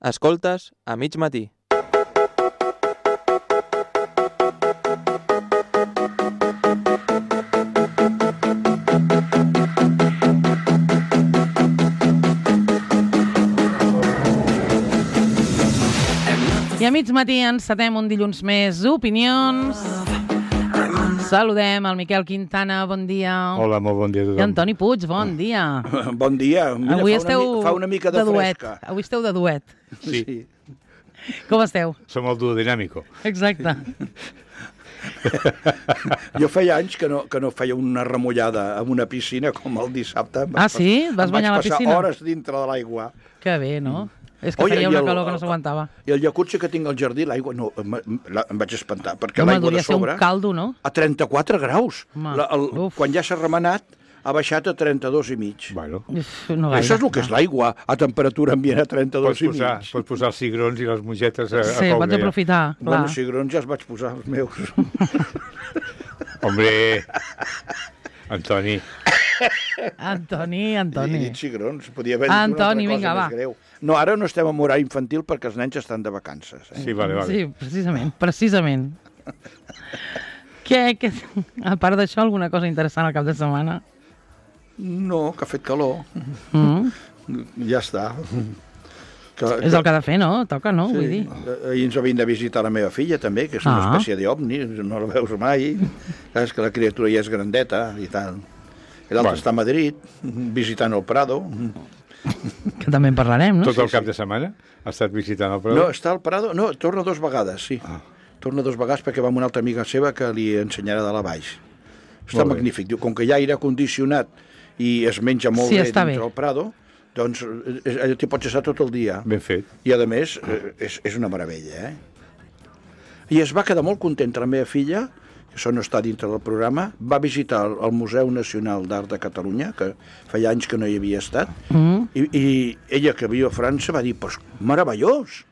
Escoltes a mig matí. I a mig matí encetem un dilluns més d'opinions. Saludem el Miquel Quintana, bon dia. Hola, molt bon dia a tothom. I Antoni Puig, bon dia. Bon dia. Mira, avui fa una mica de duet. fresca. Avui esteu de duet. Sí. Com esteu? Som el duo dinàmico. Exacte. Jo feia anys que no feia una remullada en una piscina com el dissabte. Sí? Vas banyar a la piscina? Vaig passar hores dintre de l'aigua. Que bé, no? És que feia una calor que no s'aguantava. I el jacuzzi que tinc al jardí, l'aigua, no, em vaig espantar, perquè Home, l'aigua de sobre... devia ser un caldo, no? A 34 graus. Quan ja s'ha remenat, ha baixat a 32 i mig. Bueno. No gaire. Això és el que és l'aigua, a temperatura ambient a 32 i mig. Pots posar els cigrons i les mongetes a Sí, foc. pots aprofitar, clar. Bueno, cigrons ja els vaig posar, els meus. Hombre, Antoni. Antoni. He dit cigrons, podia haver dit Antoni, una vinga, altra cosa més greu. No, ara no estem en horari infantil perquè els nens estan de vacances. Sí, vale. Sí, precisament. A part d'això, alguna cosa interessant al cap de setmana? No, que ha fet calor. Ja està. És el que ha de fer, no? Toca, no? Sí. Vull dir. Ahir ens va vindre a visitar la meva filla, també, que és una espècie d'ovni, no la veus mai. Saps que la criatura ja és grandeta i tal. I l'altre està a Madrid, visitant el Prado. Que també en parlarem, no? Tot el cap de setmana ha estat visitant el Prado? No, està al Prado, no, torna 2 vegades, sí. Torna 2 vegades perquè va amb una altra amiga seva que li ensenyarà de la baix. Està magnífic. Diu, com que hi ha aire condicionat i es menja molt bé dintre el Prado, doncs allò t'hi pots estar tot el dia. Ben fet. I a més, és una meravella, I es va quedar molt contenta la meva filla, que això no està dintre del programa, va visitar el Museu Nacional d'Art de Catalunya, que feia anys que no hi havia estat, i ella, que viu a França, va dir, pues, meravellós!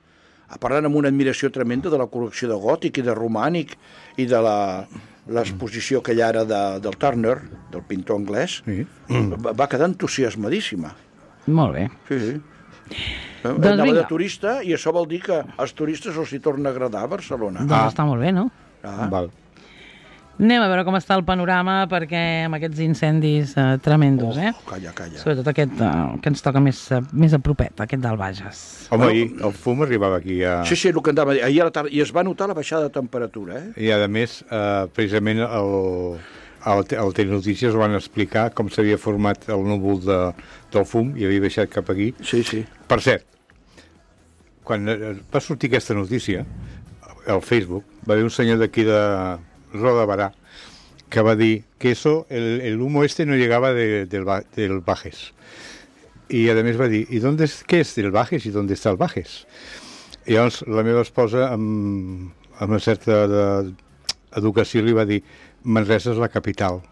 Parlant amb una admiració tremenda de la col·lecció de gòtic i de romànic i de l'exposició que hi ha ara del Turner, del pintor anglès, va quedar entusiasmadíssima. Molt bé. Sí. Anava de turista i això vol dir que als turistes els hi torna a agradar a Barcelona. Doncs està molt bé, no? Val. Anem a veure com està el panorama, perquè amb aquests incendis tremendos, Calla. Sobretot aquest que ens toca més a propet, aquest del Bages. Home, el fum arribava aquí a... Sí, el que andava ahir a la tarda, i es va notar la baixada de temperatura, I a més, precisament al Telenotícies van explicar com s'havia format el núvol del fum i havia baixat cap aquí. Sí. Per cert, quan va sortir aquesta notícia, al Facebook, va haver un senyor d'aquí de Roda Barà que va dir que el humo no llegaba del Bages. I a més va dir, què és del Bages i d'on està el Bages? I llavors la meva esposa, amb una certa educació, li va dir, Manresa es la capital,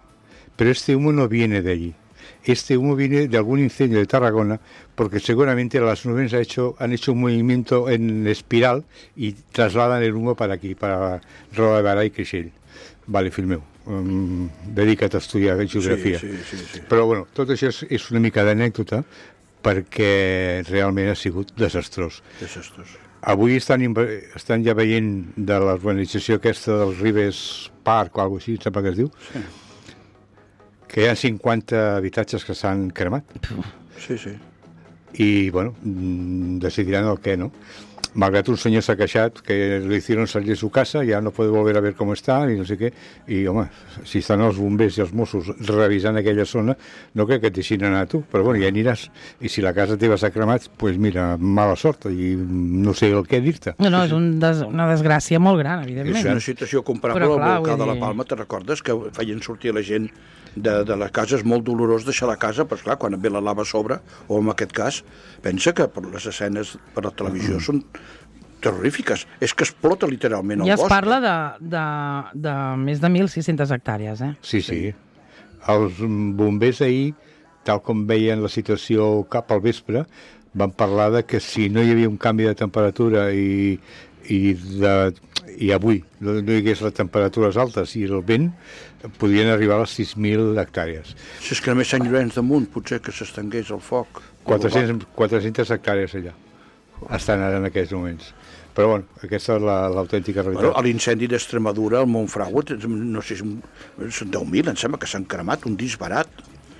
pero este humo no viene de allí. Este humo viene de algún incendio de Tarragona, porque seguramente las nubes han hecho un movimiento en espiral y trasladan el humo para aquí, para Roda de Barà i Creixell. Vale, fill meu, dedica't a estudiar geografia. Sí. Però, bueno, tot això és una mica d'anècdota, perquè realment ha sigut desastrós. Avui estan ja veient de l'urbanització aquesta del Ribes Park o alguna cosa així, sap què es diu? Sí. Que hi ha 50 habitatges que s'han cremat. Sí. I, bueno, decidiran el què, no? Malgrat un senyor s'ha queixat que le hicieron salir de su casa, ya no puede volver a ver cómo está, i no sé què. I, home, si estan els bombers i els Mossos revisant aquella zona, no crec que et deixin anar a tu, però bueno, ja aniràs. I si la casa teva s'ha cremat, doncs mira, mala sort, i no sé el què dir-te. No, és una desgràcia molt gran, evidentment. És una situació comparable al volcà de la Palma, te recordes que feien sortir la gent de la casa? És molt dolorós deixar la casa, però esclar, quan et ve la lava a sobre, o en aquest cas, pensa que per les escenes per la televisió són terrorífiques. És que explota literalment el bosc. Ja es parla de més de 1.600 hectàrees, Sí. Els bombers ahir, tal com veien la situació cap al vespre, van parlar de que si no hi havia un canvi de temperatura i avui no hi hagués les temperatures altes i el vent, podrien arribar a les 6.000 hectàrees. Si és que només Sant Llorenç de Munt potser que s'estengués el foc. 400 hectàrees allà. estan ara en aquests moments. Però bueno, aquesta és l'autèntica realitat. Bueno, a l'incendi d'Extremadura, al Montfragüe, no sé, són 10.000, em sembla que s'han cremat, un disbarat.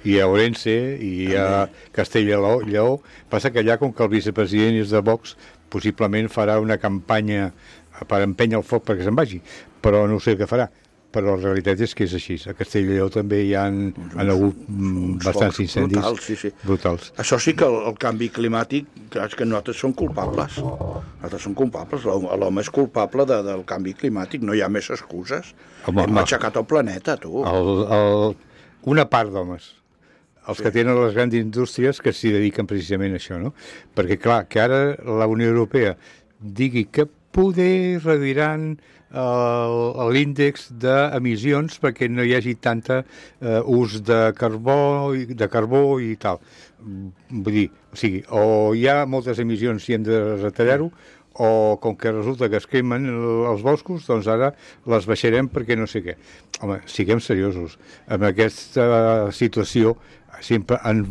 I a Orense, i a Castella-Lleó. Passa que allà, com que el vicepresident és de Vox, possiblement farà una campanya per empènyer el foc perquè se'n vagi, però no sé què farà. Però la realitat és que és així. A Castella-Lleó també hi han hagut bastants incendis brutals. Això sí que el canvi climàtic, clar, és que nosaltres som culpables. Nosaltres som culpables. L'home és culpable del canvi climàtic. No hi ha més excuses. Hem aixecat el planeta, tu. Una part d'homes. Els que tenen les grans indústries que s'hi dediquen precisament a això, no? Perquè, clar, que ara la Unió Europea digui que poder reduiran l'índex d'emissions perquè no hi hagi tanta ús de carbó i tal. Vull dir, o sigui, o hi ha moltes emissions i hem de retallar-ho, o com que resulta que es cremen els boscos, doncs ara les baixarem perquè no sé què. Home, siguem seriosos. En aquesta situació sempre han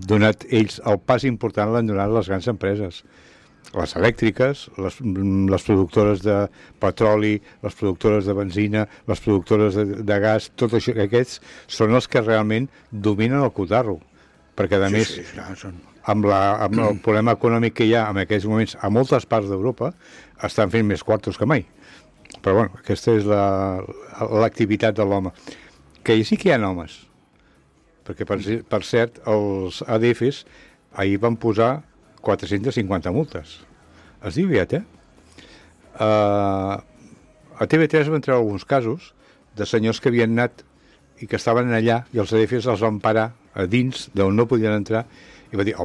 donat ells el pas important, l'han donat les grans empreses. Les elèctriques, les productores de petroli, les productores de benzina, les productores de gas, tot això, aquests són els que realment dominen el cotarro. Perquè, a més, amb el problema econòmic que hi ha en aquests moments a moltes parts d'Europa, estan fent més quartos que mai. Però, bueno, aquesta és l'activitat de l'home. Que sí que hi ha homes. Perquè, per cert, els ADFs ahir van posar 450 multes. Es diu aviat, A TV3 van treure alguns casos de senyors que havien anat i que estaven allà i els ADFs els van parar a dins d'on no podien entrar i va dir,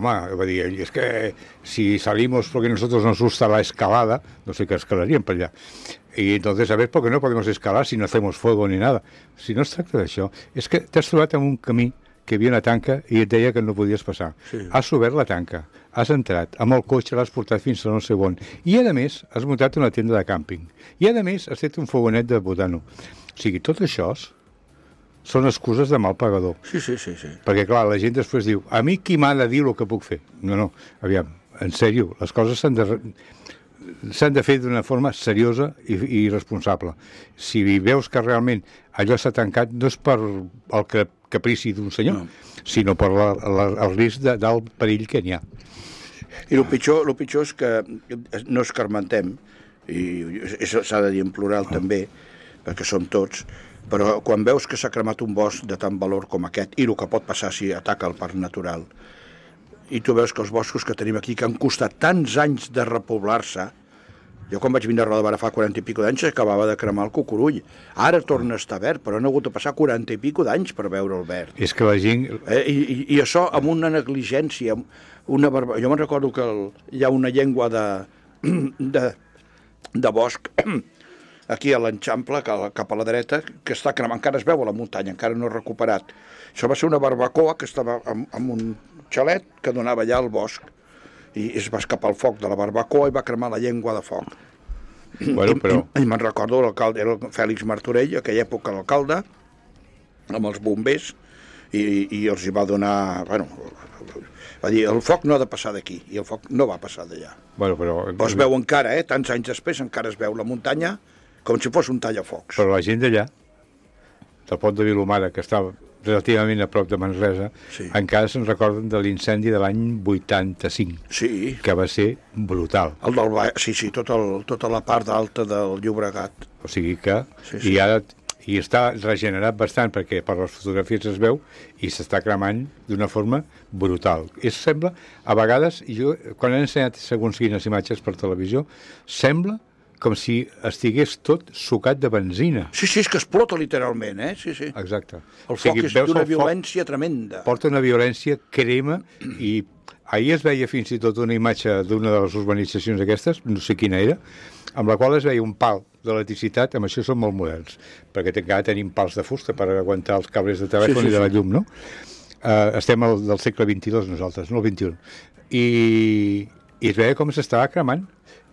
es que si salimos porque nosotros nos gusta la escalada, no sé qué escalarían per allà. Y entonces, a ver, ¿por qué no podemos escalar si no hacemos fuego ni nada? Si no es tracta d'això, és que t'has trobat en un camí que hi havia una tanca i et deia que no podies passar. Sí. Has obert la tanca, has entrat, amb el cotxe l'has portat fins a no sé on, i a més has muntat una tenda de càmping, i a més has fet un fogonet de butano. O sigui, tot això són excuses de mal pagador. Sí. Perquè, clar, la gent després diu, a mi qui m'ha de dir el que puc fer? No, aviam, en sèrio, les coses s'han de fer d'una forma seriosa i responsable. Si veus que realment allò s'ha tancat, no és per el caprici d'un senyor, sinó per el risc d'alt perill que n'hi ha. I el pitjor és que no escarmentem, i s'ha de dir en plural també, perquè som tots, però quan veus que s'ha cremat un bosc de tant valor com aquest, i el que pot passar si ataca el parc natural, i tu veus que els boscos que tenim aquí, que han costat tants anys de repoblar-se, jo quan vaig vindre a Roda de Barà fa 40 i pico d'anys acabava de cremar el Cucurull. Ara torna a estar verd, però han hagut de passar 40 i pico d'anys per veure el verd. És que la gent... I això amb una negligència, jo me'n recordo que hi ha una llengua de bosc aquí a l'Enxample, cap a la dreta, que està cremant, encara es veu a la muntanya, encara no recuperat. Això va ser una barbacoa que estava en un xalet que donava allà al bosc, i es va escapar el foc de la barbacoa i va cremar la llengua de foc. Bueno, però... I me'n recordo, l'alcalde era el Fèlix Martorell, aquella època l'alcalde, amb els bombers, i els hi va donar... Bueno, va dir, el foc no ha de passar d'aquí, i el foc no va passar d'allà. Bueno, però es veu encara, tants anys després, encara es veu la muntanya com si fos un tallafocs. Però la gent d'allà, del pont de Vilomara, que estava relativament a prop de Manresa, encara se'n recorden de l'incendi de l'any 85, que va ser brutal. Tota la part alta del Llobregat. O sigui que... I està regenerat bastant, perquè per les fotografies es veu, i s'està cremant d'una forma brutal. Sembla, a vegades, quan he ensenyat segons quines imatges per televisió, sembla com si estigués tot sucat de benzina. Sí, és que explota literalment, Sí. Exacte. El foc és d'una violència tremenda. Porta una violència, crema, i ahir es veia fins i tot una imatge d'una de les urbanitzacions aquestes, no sé quina era, amb la qual es veia un pal d'electricitat, amb això són molt moderns, perquè encara tenim pals de fusta per aguantar els cables de telèfon i de la llum, no? Estem del segle XXII nosaltres, no el XXI. I es veia com s'estava cremant,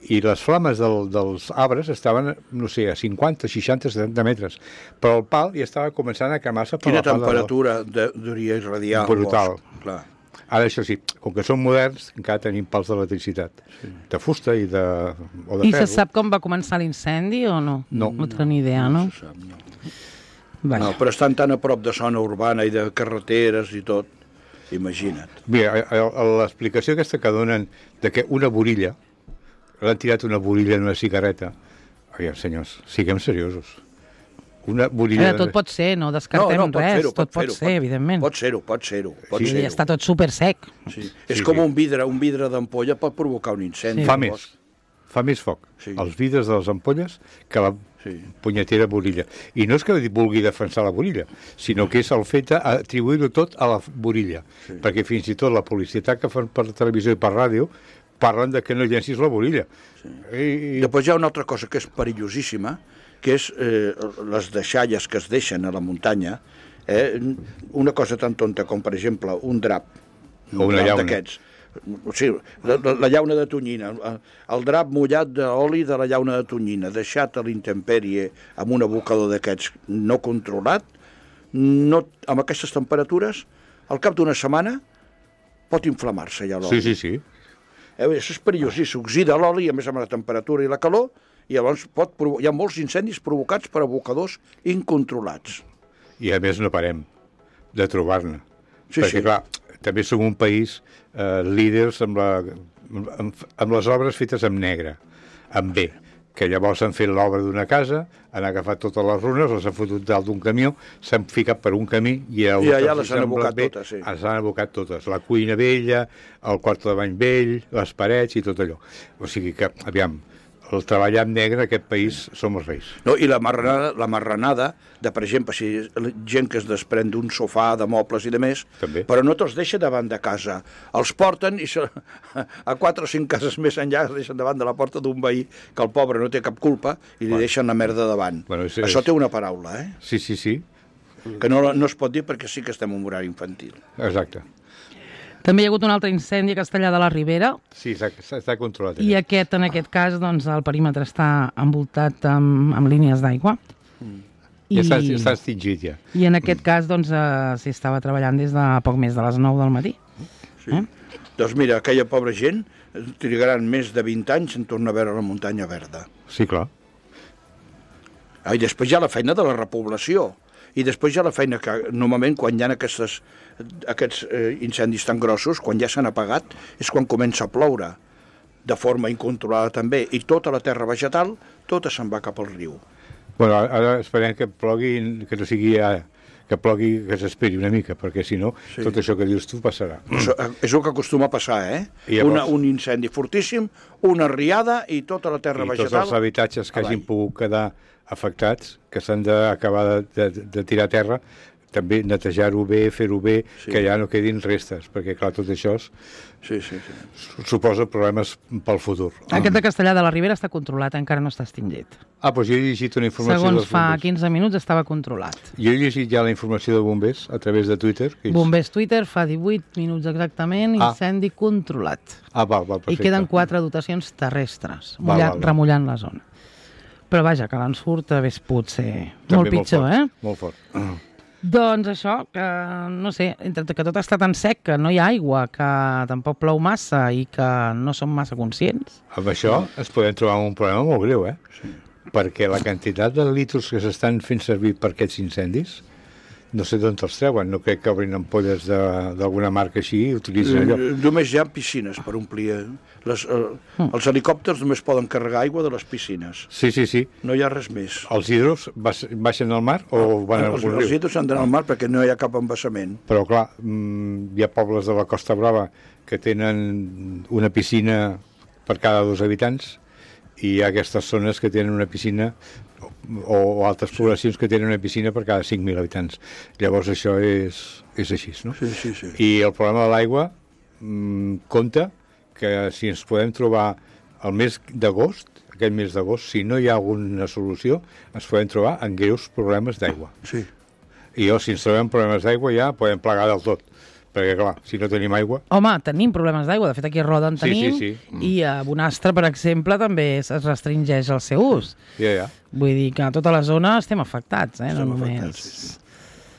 i les flames dels arbres estaven, no sé, a 50, 60, 70 metres, però el pal ja estava començant a cremar-se per la part. Quina temperatura devia irradiar el bosc. Clar. Ara, això sí, com que som moderns, encara tenim pals d'electricitat. De fusta o de I ferro. se sap com va començar l'incendi o no? No. No tenen ni idea, no? Se sap, no. Vaja. No, però estan tan a prop de zona urbana i de carreteres i tot, imagina't. Mira, l'explicació aquesta que donen de que una borilla, l'han tirat una borilla en una cigarreta. Aviam, senyors, siguem seriosos. Una borilla... Tot pot ser, no descartem pot res, fer-ho, tot pot ser, evidentment. Pot ser-ho. I està tot super sec. Sí. És com un vidre d'ampolla pot provocar un incendi. Sí. Fa més foc Sí. els vidres de les ampolles que la punyetera borilla. I no és que vulgui defensar la borilla, sinó que és el fet d'atribuir-ho tot a la borilla. Perquè fins i tot la publicitat que fan per televisió i per ràdio parlen de que no llencis la borilla. I després hi ha una altra cosa que és perillosíssima, que és les deixalles que es deixen a la muntanya. Una cosa tan tonta com, per exemple, un drap. O una llauna. D'aquests. O sigui, la llauna de tonyina, el drap mullat d'oli de la llauna de tonyina, deixat a l'intempèrie amb un abocador d'aquests no controlat, amb aquestes temperatures, al cap d'una setmana pot inflamar-se ja l'oli. Sí. Això és perillós, s'oxida l'oli, a més amb la temperatura i la calor, i llavors hi ha molts incendis provocats per abocadors incontrolats. I a més no parem de trobar-ne. Sí, perquè, clar, també som un país líders amb les obres fetes en negre, en B, que llavors han fet l'obra d'una casa, han agafat totes les runes, les han fotut dalt d'un camió, s'han ficat per un camí i allà les han abocat totes, sí. Les han abocat totes, la cuina vella, el quart de bany vell, les parets i tot allò. O sigui que, aviam, el treballar en negre en aquest país som els reis. No, i la marranada de, per exemple, si gent que es desprèn d'un sofà, de mobles i de més, També. però no te'ls deixa davant de casa. Els porten i a 4 o 5 cases més enllà es deixen davant de la porta d'un veí que el pobre no té cap culpa i li deixen la merda davant. Bueno, Això té una paraula, Sí. que no es pot dir perquè sí que estem en horari infantil. Exacte. També hi ha hagut un altre incendi a Castellar de la Ribera, Sí, està controlat. i en aquest cas, doncs, el perímetre està envoltat amb línies d'aigua. Ja està extingit, ja. I en aquest cas, doncs, s'hi estava treballant des de poc més de les 9 del matí. Sí. Doncs mira, aquella pobra gent trigaran més de 20 anys en tornar a veure la muntanya verda. Sí, clar. I després hi ha la feina de la repoblació. I després hi ha la feina que normalment quan hi ha aquests incendis tan grossos, quan ja s'han apagat, és quan comença a ploure, de forma incontrolada també, i tota la terra vegetal, tota se'n va cap al riu. Bueno, ara esperem que plogui, que no sigui que plogui, que s'esperi una mica, perquè si no, tot això que dius tu passarà. És el que acostuma a passar, I llavors... un incendi fortíssim, una riada i tota la terra vegetal... I tots els habitatges que hagin pogut quedar afectats, que s'han d'acabar de tirar a terra, també netejar-ho bé, fer-ho bé, que ja no quedin restes, perquè, clar, tot això suposa problemes pel futur. Aquest de Castellar de la Ribera està controlat, encara no està extingit. Doncs jo he llegit una informació dels Segons fa bombers. 15 minuts estava controlat. Jo he llegit ja la informació de bombers a través de Twitter. Bombers Twitter fa 18 minuts exactament, incendi controlat. Val, perfecte. I queden 4 dotacions terrestres, Val. remullant la zona. Però vaja, que l'ensurt hagués pogut ser molt pitjor, Molt fort. Doncs això, que no sé, entre que tot està tan sec, que no hi ha aigua, que tampoc plou massa i que no som massa conscients. Amb això es podem trobar un problema molt greu, perquè la quantitat de litros que s'estan fent servir per aquests incendis, no sé d'on els treuen, no crec que obrin ampolles d'alguna marca així i utilitzen allò. Només hi ha piscines per omplir. Els helicòpters només poden carregar aigua de les piscines. Sí. No hi ha res més. Els hidros baixen al mar o van a algun riu? Els hidros han d'anar al mar perquè no hi ha cap embassament. Però clar, hi ha pobles de la Costa Brava que tenen una piscina per cada 2 habitants i hi ha aquestes zones que tenen una piscina o altres poblacions que tenen una piscina per cada 5.000 habitants. Llavors això és així, no? Sí. I el problema de l'aigua compta que si ens podem trobar el mes d'agost, aquest mes d'agost, si no hi ha alguna solució, ens podem trobar en greus problemes d'aigua. Sí. I si ens trobem problemes d'aigua ja podem plegar del tot. Perquè, clar, si no tenim aigua... Home, tenim problemes d'aigua. De fet, aquí a Roda en tenim. Sí. I a Bonastre, per exemple, també es restringeix el seu ús. Ja. Vull dir que a tota la zona estem afectats, no només...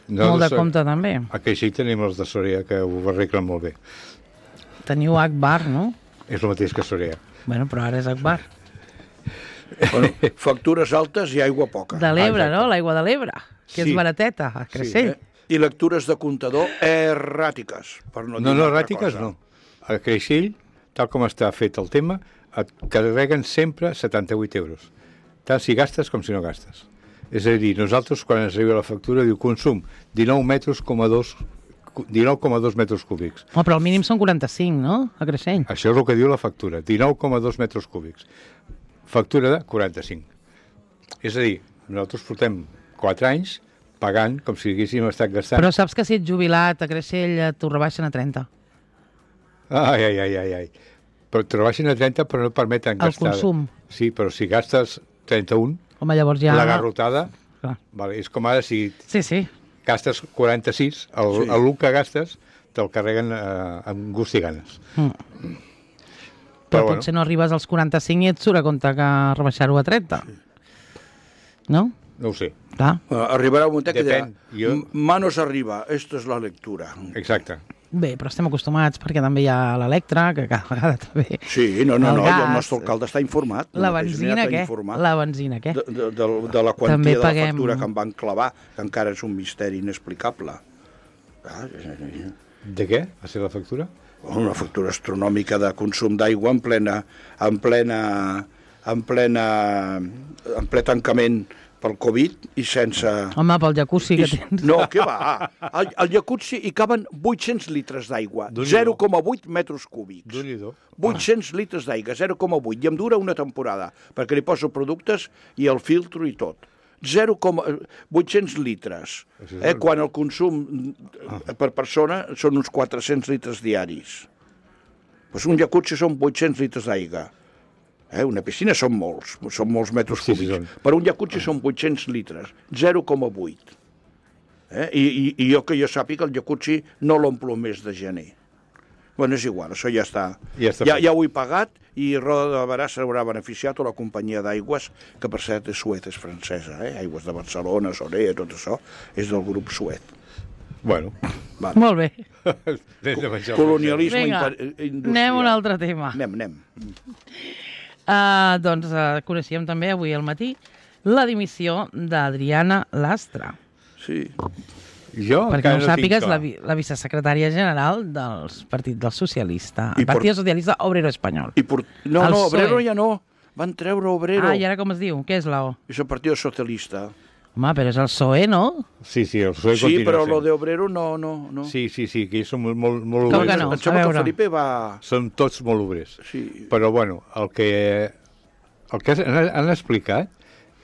Molt de compte, també. A Creixell tenim els de Soria, que ho arreglen molt bé. Teniu Akbar, no? És el mateix que Soria. Bueno, però ara és Akbar. Bueno, factures altes i aigua poca. De l'Ebre, no? L'aigua de l'Ebre, que Sí. és barateta, a Creixell. I lectures de comptador erràtiques, per no dir No, una altra erràtiques cosa. no. A Creixell, tal com està fet el tema, et carreguen sempre 78 euros. Tant si gastes com si no gastes. És a dir, nosaltres, quan ens arriba la factura, diu consum 19,2 metres cúbics. Oh, però el mínim són 45, no? A Creixell. Això és el que diu la factura, 19,2 metres cúbics. Factura de 45. És a dir, nosaltres portem 4 anys pagant com si haguéssim estat gastant. Però saps que si ets jubilat a Creixell t'ho rebaixen a 30. Ai. Però te rebaixen a 30 però no et permeten El gastar. consum. Sí, però si gastes 31, Home, llavors ja... la garrotada, Clar. vale, és com ara si Sí. gastes 46, el Sí. l'1 que gastes te'l carreguen amb gust i ganes. Però bueno. potser no arribes als 45 i et surt a compte que rebaixar-ho a 30. No? No ho sé, Clar. Arribarà un moment que dirà, Depèn, jo- manos arriba, esta és la lectura. exacte. Bé, però estem acostumats perquè també hi ha l'Electra, que cada vegada també... Sí, no, El i el gas. nostre alcalde està informat. La mateix benzina, està què? informat La benzina, què? de la quantia També de la paguem- factura que em van clavar, que encara és un misteri inexplicable. De què va ser la factura? Una factura astronòmica de consum d'aigua en ple tancament pel Covid i sense... Home, pel jacuzzi que tens. No, què va? Al jacuzzi hi caben 800 litres d'aigua, Déu-n'hi-do. 0,8 metres cúbics. Déu-n'hi-do. 800 litres d'aigua, 0,8, i em dura una temporada, perquè li poso productes i el filtro i tot. 0,800 litres, quan el consum per persona són uns 400 litres diaris. Pues un jacuzzi són 800 litres d'aigua. Una piscina són molts metres Sí, cúbics. són. Per un jacuzzi són 800 litres, 0,8. I jo que jo sàpiga, el jacuzzi no l'omplo el mes de gener. Bueno, és igual, això ja està. Ja està fet. Ja ho he pagat i Roda de Barà s'haurà beneficiat, o la companyia d'aigües, que per cert és Suez, és francesa, Aigües de Barcelona, Sorea, tot això, és del grup Suez. Bueno, Vale. Molt bé. des de menjar. Colonialisme Vinga, industrial. anem a un altre tema. Anem. Doncs coneixíem també avui al matí la dimissió d'Adriana Lastra. Sí. Jo Perquè no ho encara sàpigues, tinc clar. la vicesecretària general del Partit del Socialista, I el Partit Socialista Obrero Espanyol. No, El Obrero PSOE. ja no. Van treure Obrero. I ara com es diu? Què és la O? És el Partit Socialista. Home, però és el PSOE, no? Sí, el PSOE Sí, continua però sent. lo de Obrero no. Sí, que ells són molt Com obrers. que no? Em sembla A que veure. Felipe va... Són tots molt obrers. Sí. Però, bueno, el que han explicat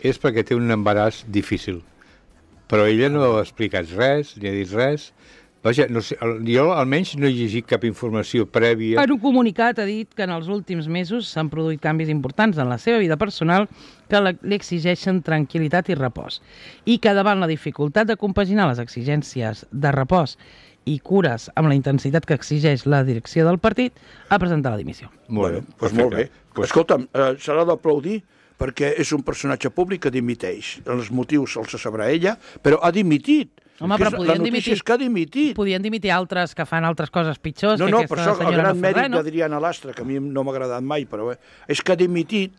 és perquè té un embaràs difícil. Però ella no ha explicat res, ni ha dit res. Vaja, no sé, jo almenys no he llegit cap informació prèvia. En un comunicat ha dit que en els últims mesos s'han produït canvis importants en la seva vida personal que li exigeixen tranquil·litat i repòs, i que davant la dificultat de compaginar les exigències de repòs i cures amb la intensitat que exigeix la direcció del partit, ha presentat la dimissió. Molt bé, Doncs molt bé. Pues, Escolta'm, s'ha d'aplaudir perquè és un personatge públic que dimiteix. Els motius els sabrà ella, però ha dimitit. Home, però La podien notícia dimitir. és que ha dimitit. Podien dimitir altres que fan altres coses pitjors No, que per aquesta això el senyora gran no fa mèrit res, no? d'Adriana Lastra, que a mi no m'ha agradat mai, però és que ha dimitit,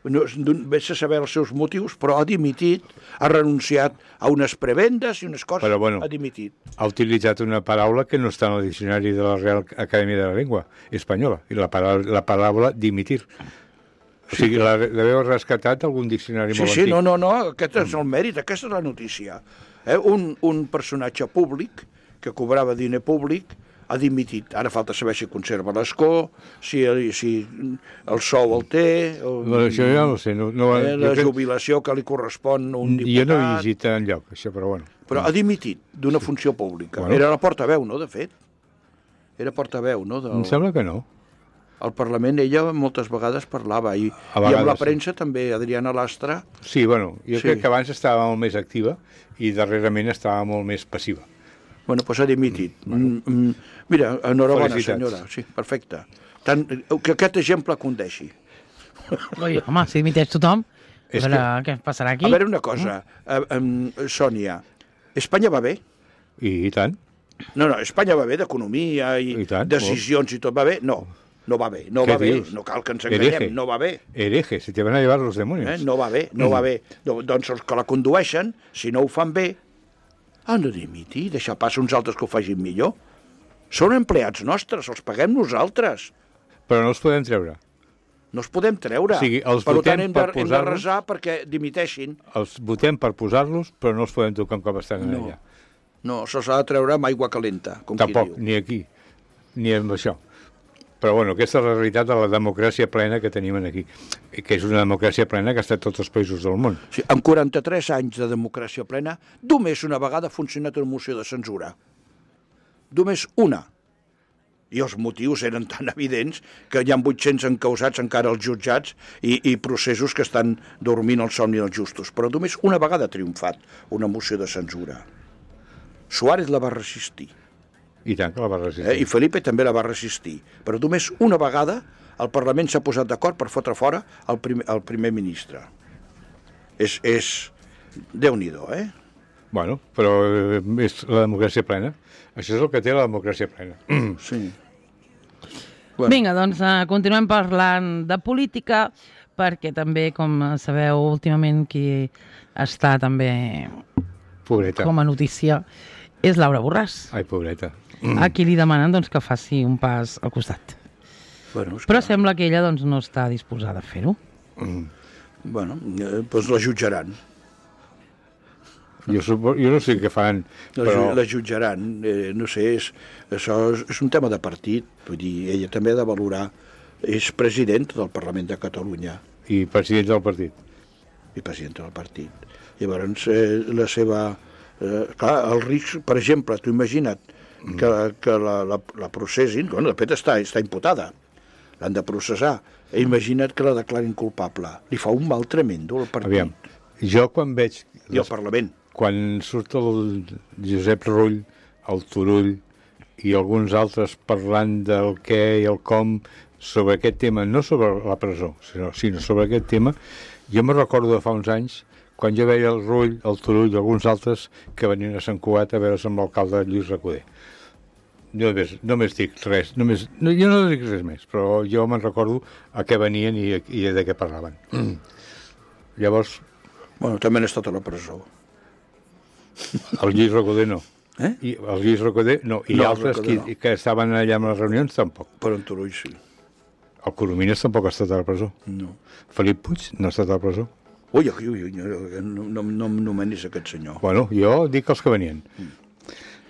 no, vés a saber els seus motius, però ha dimitit, ha renunciat a unes prebendes i unes coses, Però, bueno, ha dimitit. ha utilitzat una paraula que no està en el diccionari de la Real Acadèmia de la Llengua Espanyola, i la paraula dimitir. O sigui, l'heu rescatat algun diccionari molt Sí, antic. no, aquest és el mèrit, aquesta és la notícia. Un personatge públic que cobrava diner públic ha dimitit. Ara falta saber si conserva l'escó, si el sou el té, Això ja no ho sé. la jubilació que li correspon a un diputat. Jo no he llegit enlloc, això, però bueno. Però ha dimitit d'una funció pública. Bueno. Era la portaveu, no, de fet? Era portaveu, no? Em sembla que no. Al Parlament ella moltes vegades parlava i vegades, amb la sí. premsa també, Adriana Lastra. Sí, bueno, jo Sí. crec que abans estava molt més activa i darrerament estava molt més passiva. Bueno, doncs ha dimitit. Mira, enhorabona, Felicitats. senyora. Sí, perfecte. Que aquest exemple condeixi. Ui, home, si dimiteix tothom, És què passarà aquí? A veure una cosa, Sònia, Espanya va bé? I tant. No, Espanya va bé d'economia i tant, decisions i tot va bé. No va bé, no va bé. No cal que ens enganyem, no va bé. Hereje, se te van a llevar los demonios. No va bé, no va bé. Doncs els que la condueixen, si no ho fan bé, han de dimitir, deixar pas uns altres que ho facin millor. Són empleats nostres, els paguem nosaltres. Però no els podem treure. No els podem treure. O sigui, els per votem tant, per hem de posar-los... resar perquè dimiteixin. Els votem per posar-los, però no els podem tocar un cop estan allà. No, se'ls ha de treure amb aigua calenta, com Tampoc, qui diu. ni aquí, ni amb això. Però bueno, aquesta és la realitat de la democràcia plena que tenim aquí, que és una democràcia plena que ha estat tots els països del món. Sí, en 43 anys de democràcia plena, només una vegada ha funcionat una moció de censura. Només una. I els motius eren tan evidents que hi ha 800 encausats encara als jutjats i processos que estan dormint el somni dels justos. Però només una vegada ha triomfat una moció de censura. Suárez la va resistir. I tant que la va resistir. I Felipe també la va resistir. Però només una vegada el Parlament s'ha posat d'acord per fotre fora el primer ministre. És Déu-n'hi-do, Bueno, però és la democràcia plena. Això és el que té la democràcia plena. Sí. Bueno. Vinga, doncs continuem parlant de política, perquè també, com sabeu, últimament qui està també Pobreta. Com a notícia és Laura Borràs. Ai, pobreta. A qui li demanen doncs, que faci un pas al costat. Bueno, però sembla que ella doncs, no està disposada a fer-ho. Bueno, doncs la jutjaran. Jo no sé què fan, però... La jutjaran, no sé, això és un tema de partit, vull dir, ella també ha de valorar, és presidenta del Parlament de Catalunya. I presidenta del partit. I presidenta del partit. Llavors, la seva... clar, el risc, per exemple, t'ho imagina't, que la processin, bueno, de fet està imputada, l'han de processar, imagina't que la declarin culpable. Li fa un mal tremendo al partit. Aviam, jo quan veig... I al Parlament. Quan surt el Josep Rull, el Turull i alguns altres parlant del què i el com sobre aquest tema, no sobre la presó, sinó sobre aquest tema, jo me recordo de fa uns anys, quan jo veia el Rull, el Turull i alguns altres que venien a Sant Cugat a veure's amb l'alcalde Lluís Recoder. Només dic res, jo no dic res més, però jo me'n recordo a què venien i de què parlaven. Llavors... Bueno, també han estat a la presó. El Lluís Recoder no. I el Lluís Recoder no. I altres que estaven allà en les reunions tampoc. Però en Turull sí. El Coromines tampoc ha estat a la presó. No. Felip Puig no ha estat a la presó. Ui, no menis aquest senyor. Bueno, jo dic els que venien.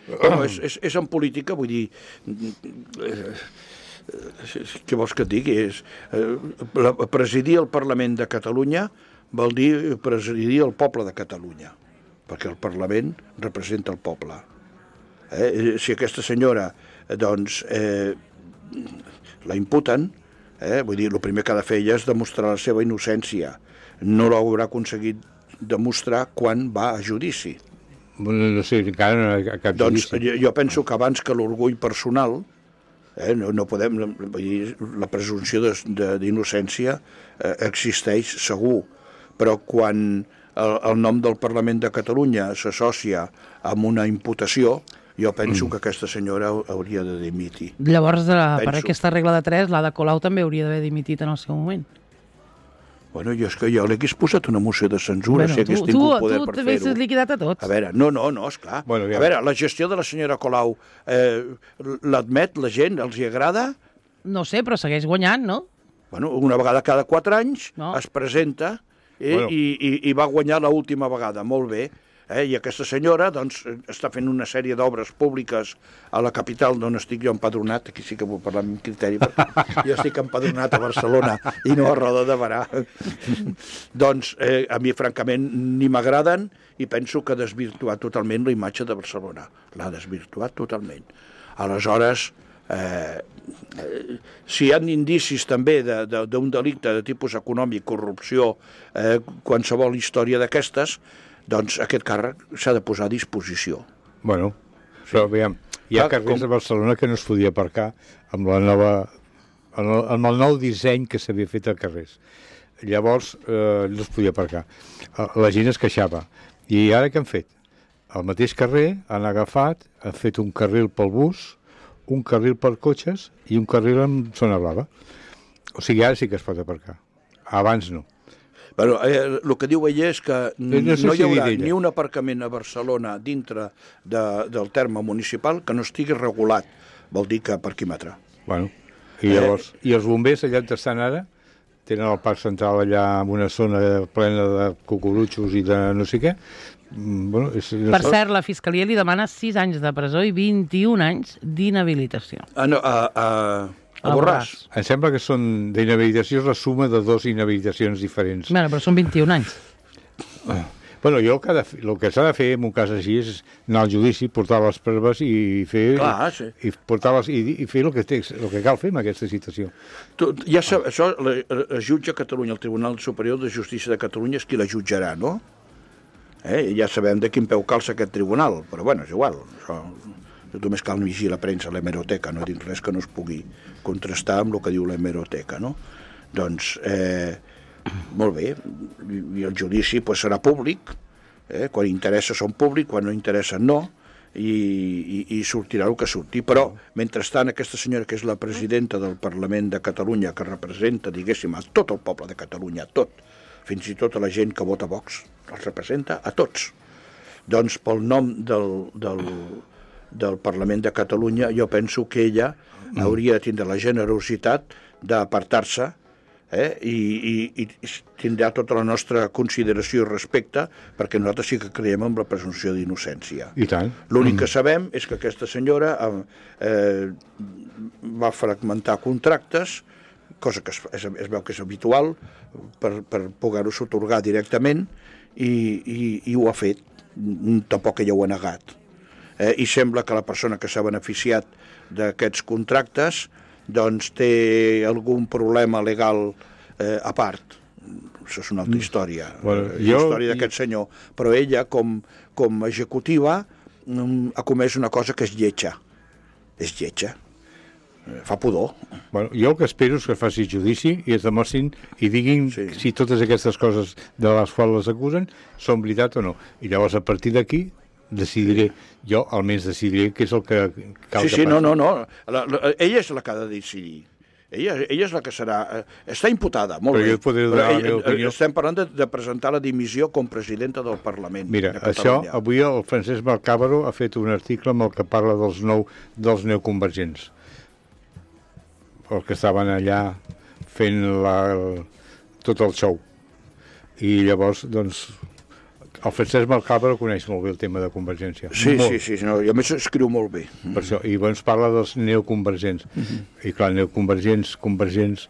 Bueno, és en política, vull dir... què vols que et digui? Presidir el Parlament de Catalunya vol dir presidir el poble de Catalunya, perquè el Parlament representa el poble. Si aquesta senyora, doncs, la imputen, vull dir, el primer que ha de fer ella és demostrar la seva innocència. No l'haurà aconseguit demostrar quan va a judici. No sé, encara no hi ha cap judici. Doncs jo penso que abans que l'orgull personal, no podem, vull dir, la presumpció d'innocència existeix segur, però quan el nom del Parlament de Catalunya s'associa amb una imputació, jo penso que aquesta senyora hauria de dimitir. Llavors, per aquesta regla de 3, l'Ada Colau també hauria d'haver dimitit en el seu moment. Bueno, és que jo li hagués posat una moció de censura, si hagués tingut poder per fer-ho. Tu també has liquidat a tots. A veure, no, esclar. Bueno, a veure, la gestió de la senyora Colau l'admet, la gent, els hi agrada? No sé, però segueix guanyant, no? Bueno, una vegada cada 4 anys es presenta i va guanyar l'última vegada, molt bé. I aquesta senyora doncs, està fent una sèrie d'obres públiques a la capital d'on estic jo empadronat, aquí sí que vull parlar amb criteri, perquè jo estic empadronat a Barcelona i no a Roda de Berà. Doncs a mi francament ni m'agraden i penso que ha desvirtuat totalment la imatge de Barcelona. L'ha desvirtuat totalment. Aleshores, si hi ha indicis també d'un delicte de tipus econòmic, corrupció, qualsevol història d'aquestes, doncs aquest càrrec s'ha de posar a disposició. Bueno, però veiem, hi ha carrers a Barcelona que no es podia aparcar amb el nou disseny que s'havia fet a carrers. Llavors no es podia aparcar. La gent es queixava. I ara què han fet? al mateix carrer han agafat, han fet un carril pel bus, un carril per cotxes i un carril amb zona blava. O sigui, ara sí que es pot aparcar. Abans no. Però el que diu ella és que no sé no hi si haurà dir ella. ni un aparcament a Barcelona dintre del terme municipal que no estigui regulat, vol dir que parquímetre. Bueno, i llavors, i els bombers allà on estan ara, tenen el parc central allà amb una zona plena de cucurutxos i de no sé què. Bueno, Per cert, la Fiscalia li demana 6 anys de presó i 21 anys d'inhabilitació. A Borràs. Em sembla que són d'inhabilitació és la suma de 2 inhabilitacions diferents. Bueno, però són 21 anys. Bueno, jo el que s'ha de fer en un cas així és anar al judici, portar les proves i fer Clar, sí. i fer el que cal fer en aquesta situació. Això es jutja a Catalunya, el Tribunal Superior de Justícia de Catalunya és qui la jutjarà, no? Ja sabem de quin peu calça aquest tribunal, però bueno, és igual. Això, només cal llegir la premsa, l'hemeroteca, no dic res que no es pugui contrastar amb el que diu l'hemeroteca, no? Doncs, molt bé, i el judici pues, serà públic, quan interessa són públic, quan no interessa no, i sortirà el que surti. Però, mentrestant, aquesta senyora que és la presidenta del Parlament de Catalunya, que representa, diguéssim, a tot el poble de Catalunya, tot, fins i tot a la gent que vota Vox, els representa a tots. Doncs, pel nom del Parlament de Catalunya, jo penso que ella hauria de tindre la generositat d'apartar-se i tindrà tota la nostra consideració i respecte, perquè nosaltres sí que creiem en la presumpció d'innocència. I tant. L'únic que sabem és que aquesta senyora va fragmentar contractes, cosa que es veu que és habitual, per poder-ho atorgar directament, i ho ha fet. Tampoc ella ho ha negat. I sembla que la persona que s'ha beneficiat d'aquests contractes doncs té algun problema legal a part. Això és una altra història, la història d'aquest senyor. Però ella, com a executiva, ha comès una cosa que és lletja. És lletja. Fa pudor. Bueno, jo el que espero és que faci judici i es demostrin i diguin si totes aquestes coses de les quals les acusen són veritat o no. I llavors, a partir d'aquí, decidiré, jo almenys decidiré què és el que cal que passi. No. Ella és la que ha de decidir. Ella és la que serà... Està imputada, molt bé. Però jo podré donar la meva opinió. Estem parlant de presentar la dimissió com presidenta del Parlament de Catalunya. Això, avui el Francesc Malcàbaro ha fet un article amb el que parla dels neoconvergents. Els que estaven allà fent tot el show. I llavors, doncs, el Francesc Malcàbaro coneix molt bé el tema de Convergència. Sí, i a més escriu molt bé. Per això, i llavors parla dels neoconvergents. I clar, neoconvergents, convergents...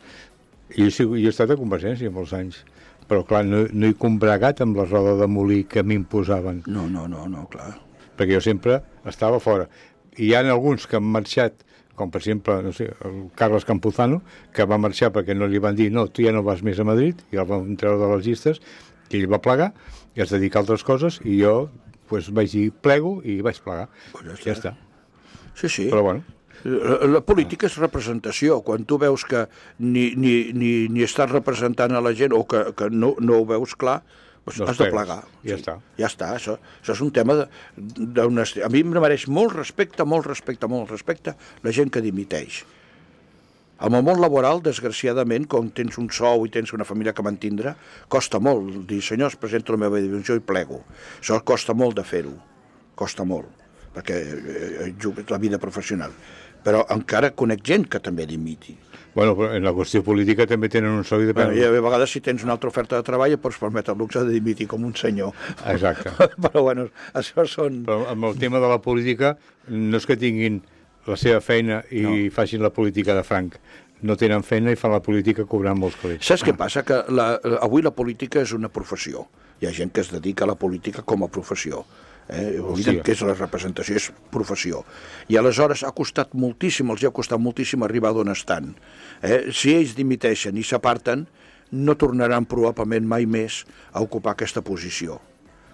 Jo he estat a Convergència molts anys, però clar, no he combregat amb la roda de molí que m'imposaven. No, clar. Perquè jo sempre estava fora. I hi ha alguns que han marxat, com per exemple, no sé, el Carles Campuzano, que va marxar perquè no li van dir no, tu ja no vas més a Madrid, i el van treure de les llistes, i ell va plegar, i es dedica a altres coses, i jo pues, vaig dir plego i vaig plegar. Pues ja està. Sí. Però bueno. La política és representació. Quan tu veus que ni estàs representant a la gent o que no ho veus clar, pues has de plegar. Ja està. Ja està. Això és un tema a mi em mereix molt respecte la gent que dimiteix. En el món laboral, desgraciadament, quan tens un sou i tens una família que mantindre, costa molt dir, senyors, presento la meva dimissió i plego. Això costa molt de fer-ho. Costa molt, perquè és la vida professional. Però encara conec gent que també dimiti. Bueno, però en la qüestió política també tenen un sou i depèn... I a vegades, si tens una altra oferta de treball, pots permetre el luxe de dimitir com un senyor. Exacte. Però, bueno, això són... Però amb el tema de la política, no és que tinguin la seva feina i facin la política de franc. No tenen feina i fan la política cobrant molts calés. Saps què passa? Que avui la política és una professió. Hi ha gent que es dedica a la política com a professió. Obliden que és la representació, és professió. I aleshores ha costat moltíssim, els ha costat moltíssim arribar d'on estan. Si ells dimiteixen i s'aparten, no tornaran probablement mai més a ocupar aquesta posició.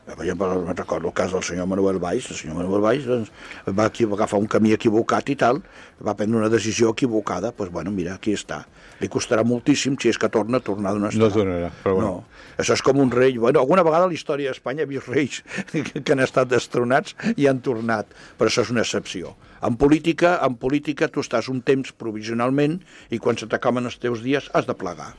Per exemple, recordo el cas del senyor Manuel Valls. El senyor Manuel Valls doncs, va agafar un camí equivocat i tal, va prendre una decisió equivocada, doncs bueno, mira, aquí està. Li costarà moltíssim, si és que tornar d'on estarà. No tornarà, però bueno. No, això és com un rei. Bueno, alguna vegada a la història d'Espanya he vist reis que han estat destronats i han tornat, però això és una excepció. En política tu estàs un temps provisionalment i quan se t'acaben els teus dies has de plegar.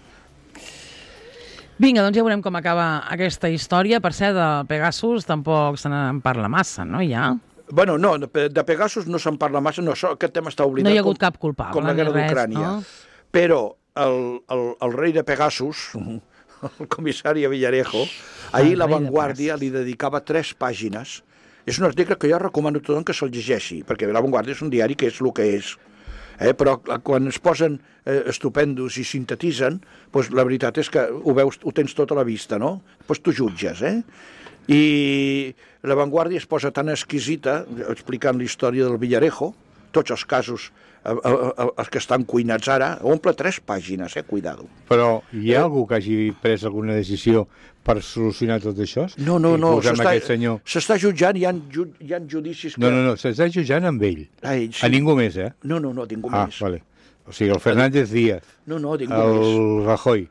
Vinga, doncs ja veurem com acaba aquesta història. Per cert, de Pegasus tampoc se n'en parla massa, no? Ja. Bueno, no, de Pegasus no se'n parla massa, no, aquest tema està oblidat. No hi ha hagut cap culpable. Com la guerra d'Ucrània. No? Però el rei de Pegasus, el comissari Villarejo, ahir La Vanguardia li dedicava 3 pàgines. És un article que jo recomano a tothom que se'l llegeixi, perquè La Vanguardia és un diari que és el que és. Però quan es posen estupendos i sintetitzen, doncs la veritat és que ho veus, ho tens tot a la vista, no? Doncs tu jutges, I La Vanguardia es posa tan exquisita, explicant la història del Villarejo, tots els casos, els que estan cuinats ara, omple 3 pàgines, cuidado. Però hi ha algú que hagi pres alguna decisió per solucionar tot això? No, s'està jutjant, hi ha judicis que... No, s'està jutjant amb ell. Sí. A ningú més, No, ningú més. Vale. O sigui, el Fernández Díaz. No, ningú més. El Rajoy.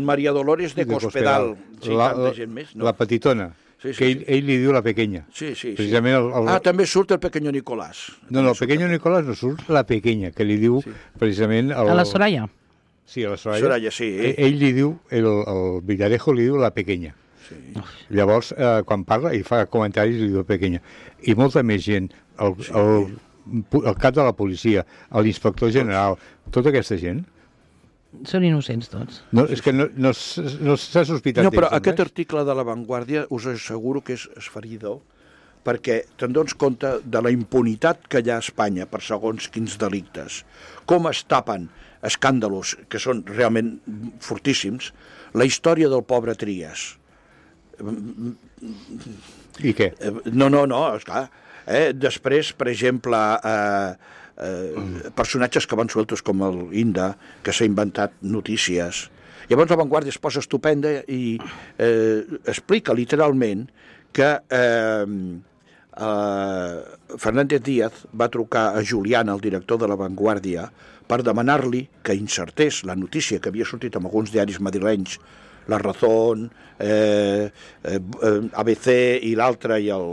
Maria Dolores de Cospedal. Sí, tanta gent més. La petitona. Sí, que ell li diu la pequeña. Sí. Precisament també surt el pequeño Nicolás. No, el pequeño Nicolás no surt la pequeña, que li diu precisament... A la Soraya. Sí, a la Soraya. Soraya, sí. Ell li diu, el Villarejo li diu la pequeña. Sí. Llavors, quan parla i fa comentaris, li diu pequeña. I molta més gent, el cap de la policia, l'inspector general, tota aquesta gent... Són innocents tots. No, és que no s'ha sospitat. No, però aquest article de La Vanguardia us asseguro que és esferidor, perquè te'n dones compte de la impunitat que hi ha a Espanya per segons quins delictes, com es tapen escàndalos que són realment fortíssims, la història del pobre Trias. I què? No, esclar. Després, per exemple, personatges que van sueltos com el Inda, que s'ha inventat notícies. Llavors La Vanguardia es posa estupenda i explica literalment que Fernández Díaz va trucar a Julián, el director de La Vanguardia, per demanar-li que insertés la notícia que havia sortit en alguns diaris madrilenys, La Razón, ABC i l'altre i el...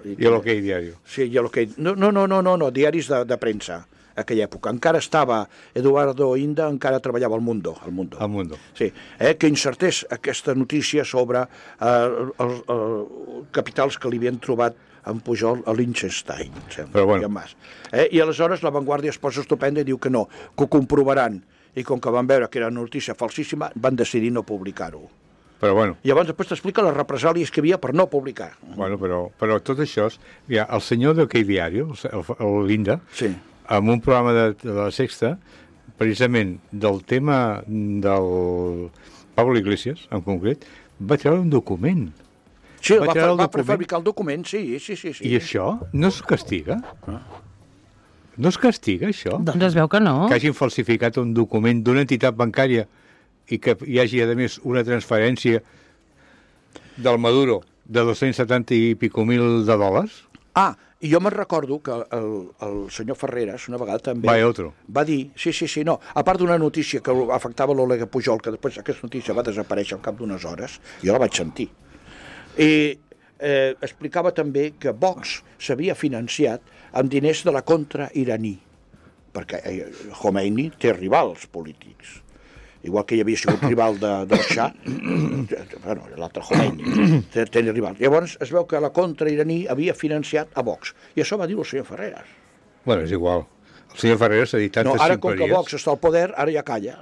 I l'Ok Diario. Sí, i l'Ok... No, diaris de premsa, a aquella època. Encara estava Eduardo Inda, encara treballava al Mundo. Sí, que insertés aquesta notícia sobre capitals que li havien trobat en Pujol a Liechtenstein. Però bueno. I aleshores La Vanguardia es posa estupenda i diu que no, que ho comprovaran. I com que van veure que era una notícia falsíssima, van decidir no publicar-ho. Però bueno. I llavors després t'explica les represàlies que hi havia per no publicar. Bueno, però tot això... Mira, el senyor d'Ok Diario, l'Inda, sí, en un programa de la Sexta, precisament del tema del Pablo Iglesias, en concret, va treure un document. Sí, va prefabricar el document, sí. I això no es castiga? No es castiga, això? Doncs es veu que no. Que hagin falsificat un document d'una entitat bancària i que hi hagi, a més, una transferència del Maduro de 270 i pico mil de dòlars? I jo me'n recordo que el senyor Ferreras una vegada també va dir, no, a part d'una notícia que afectava l'Oleg Pujol, que després aquesta notícia va desaparèixer al cap d'unes hores, jo la vaig sentir, i explicava també que Vox s'havia financiat amb diners de la contra iraní, perquè Khomeini té rivals polítics. Igual que hi havia sigut rival del Shah, bueno, l'altre Khomeini, tenia rival. Llavors es veu que la contra iraní havia financiat a Vox, i això va dir el senyor Ferreras. Bueno, és igual. El senyor Ferreras ha dit tantes ximpleries. Ara, com que Vox està al poder, ara ja calla.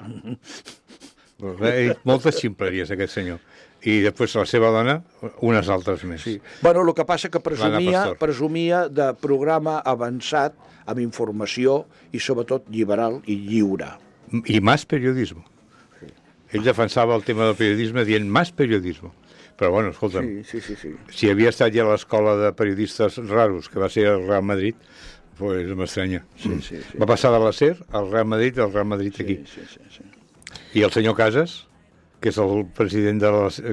Ha dit moltes ximpleries, aquest senyor. I després la seva dona, unes altres més. Sí. Bueno, el que passa que presumia de programa avançat amb informació i sobretot liberal i lliure. I més periodisme. Ell defensava el tema del periodisme dient més periodisme. Però, bueno, escolta'm, sí. Si havia estat ja a l'escola de periodistes raros, que va ser el Real Madrid, pues m'estranya. Sí. Va passar de la SER al Real Madrid i al Real Madrid aquí. Sí. I el senyor Casas, que és el president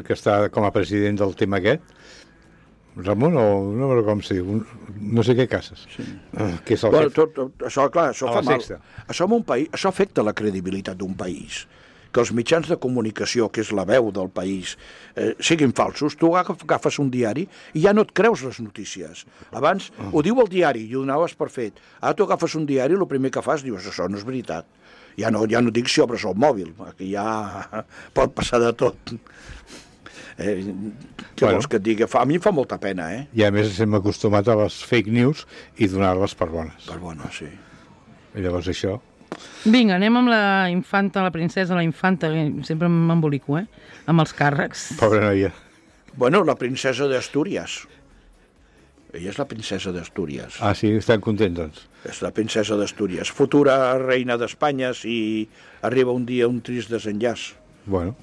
que està com a president del tema aquest. Ramon, o no recordo com se diu, no sé què cases. Sí. Que és el això, clar, això fa mal. Sexta. Això afecta la credibilitat d'un país. Que els mitjans de comunicació, que és la veu del país, siguin falsos. Tu agafes un diari i ja no et creus les notícies. Abans ho diu el diari i ho donaves per fet. Ara tu agafes un diari i el primer que fas dius això no és veritat. Ja no dic si obres el mòbil, que ja pot passar de tot. Què vols que et digui? A mi em fa molta pena, I a més estem acostumats a les fake news i donar-les per bones. Per bones, sí. I llavors això... Vinga, anem amb la infanta, la princesa, la infanta, que sempre m'embolico, amb els càrrecs. Pobra noia. Bueno, la princesa d'Astúries. Ella és la princesa d'Astúries. Ah, sí? Estan contents, doncs? És la princesa d'Astúries. Futura reina d'Espanya si arriba un dia un trist desenllaç. Bueno...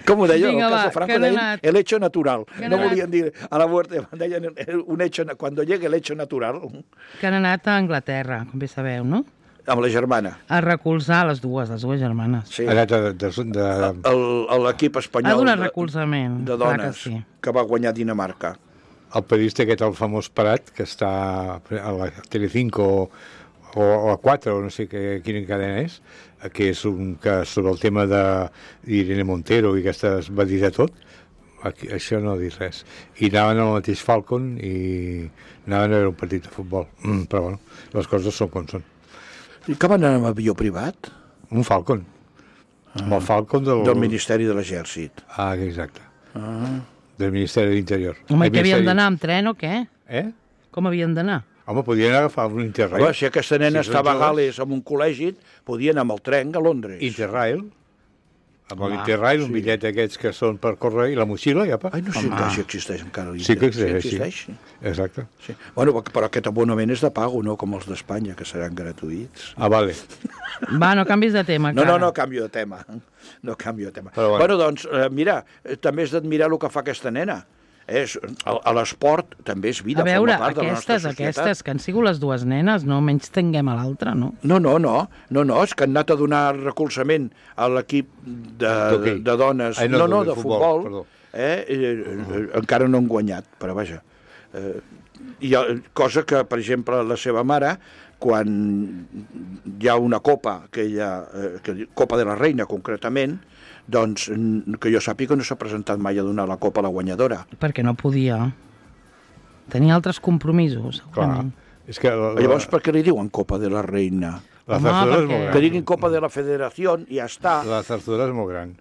Com ho deia? Vinga, el cas de Franco deien el hecho natural. No volien dir a la muerte, deien un hecho, quan llegue el hecho natural. Que han anat a Anglaterra, com bé sabeu, no? Amb la germana. A recolzar les dues germanes. Sí. Ha anat l'equip espanyol ha donat recolzament, de dones que va guanyar Dinamarca. El periodista aquest, el famós Prat, que està a la Telecinco o a 4, o no sé quina cadena és, que és sobre el tema d'Irene Montero i aquestes va dir de tot, això no ha dit res. I anaven al mateix Falcon i anaven a veure un partit de futbol. Però bueno, les coses són com són. I que van anar amb avió privat? Un Falcon. Amb el Falcon del Ministeri de l'Exèrcit. Ah, exacte. Del Ministeri de l'Interior. Home, que havien d'anar amb tren o què? Com havien d'anar? Home, podien agafar un Interrail. Home, si aquesta nena estava a Gales en un col·legi, podien anar amb el tren a Londres. Interrail. Amb l'Interrail, un bitllet d'aquests que són per córrer, i la motxilla, i apa. Ai, no sé si existeix encara l'Interrail. Sí que existeix, sí. Exacte. Sí. Bueno, però aquest abonament és de pago, no com els d'Espanya, que seran gratuïts. Ah, vale. Va, no canvis de tema, encara. No, canvio de tema. No canvio de tema. Bueno, doncs, mira, també és d'admirar el que fa aquesta nena. A l'esport també és vida, forma part de la nostra societat. Aquestes que han sigut les dues nenes, no menys tinguem a l'altra, no? No, és que han anat a donar recolzament a l'equip de dones, de futbol, encara no han guanyat, però vaja. Cosa que, per exemple, la seva mare, quan hi ha una copa, Copa de la Reina concretament, doncs que jo sàpiga no s'ha presentat mai a donar la copa a la guanyadora. Perquè no podia. Tenia altres compromisos, segurament. És que llavors, per què li diuen Copa de la Reina? La Zarzuela és molt gran. Que diguin Copa de la Federació i ja està. La Zarzuela és molt gran.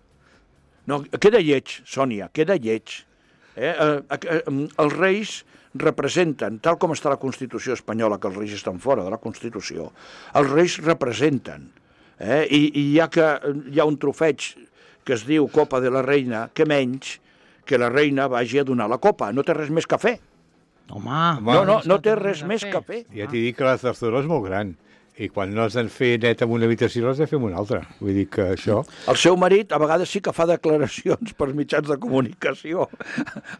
No, queda lleig, Sònia, queda lleig. Els reis representen, tal com està la Constitució espanyola, que els reis estan fora de la Constitució, els reis representen. I ja que hi ha un trofeig que es diu Copa de la Reina, que menys que la reina vagi a donar la copa. No té res més que fer. Home, no té res més que fer. Ja t'hi dic que la Zarzuela és molt gran. I quan no has de fer net en una habitació, l'has de fer en una altra. Vull dir que això... El seu marit a vegades sí que fa declaracions per mitjans de comunicació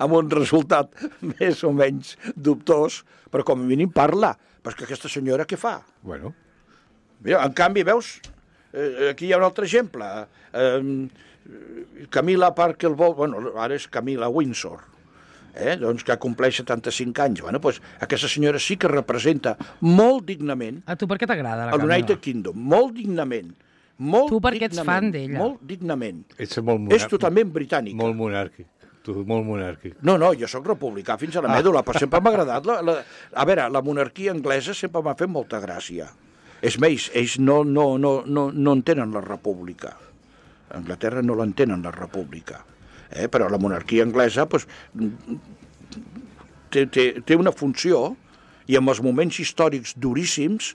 amb un resultat més o menys dubtós, però com a mínim parla. Però és que aquesta senyora què fa? Bueno. Mira, en canvi, veus, aquí hi ha un altre exemple. Camila Parker Bowles, bueno, ara és Camila Windsor, doncs que compleix 75 anys. Bueno, doncs aquesta senyora sí que representa molt dignament... A tu per què t'agrada la Camila? El United Kingdom, molt dignament. Tu perquè ets fan d'ella. Molt dignament. Ets molt monàrquic. És totalment britànica. Molt monàrquic. Molt monàrquic. No, jo sóc republicà fins a la mèdula, però sempre m'ha agradat. A veure, la monarquia anglesa sempre m'ha fet molta gràcia. És més, ells no entenen la república. A Anglaterra no l'entenen, la república. Però la monarquia anglesa té una funció i en els moments històrics duríssims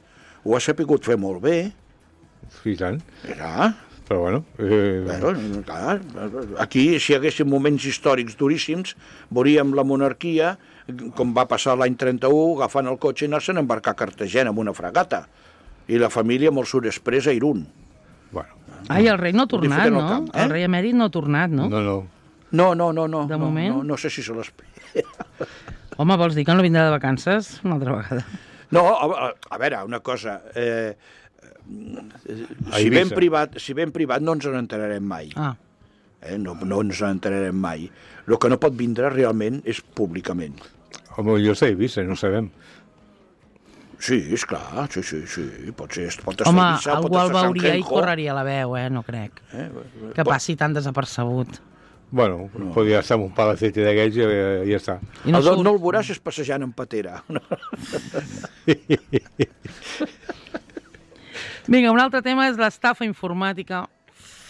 ho ha sapigut fer molt bé. I tant. Ja. Però bueno... Clar, aquí, si hi haguessin moments històrics duríssims, veuríem la monarquia, com va passar l'any 31, agafant el cotxe i anar-se'n a embarcar a Cartagena amb una fragata. I la família amb el sud-express a Irún. Bueno. Ai, el rei no ha tornat, no? El rei emèrit no ha tornat, no? No. De moment? No sé si se l'espera. Home, vols dir que no vindrà de vacances una altra vegada? No, a veure, una cosa. A Eivissa. Si ben privat no ens n'enterarem mai. Ah, No ens n'enterarem mai. El que no pot vindre realment és públicament. Home, jo sé Eivissa, no ho sabem. Sí, esclar, sí. Pot estar home, a Eivissa, algú pot el estar a Sant veuria i Genjo. correria la veu, no crec. Que passi tan desapercebut. Bueno, podria estar en un palacete d'aquells i ja està. I no surt... No el veuràs és passejant en patera. Vinga, un altre tema és l'estafa informàtica,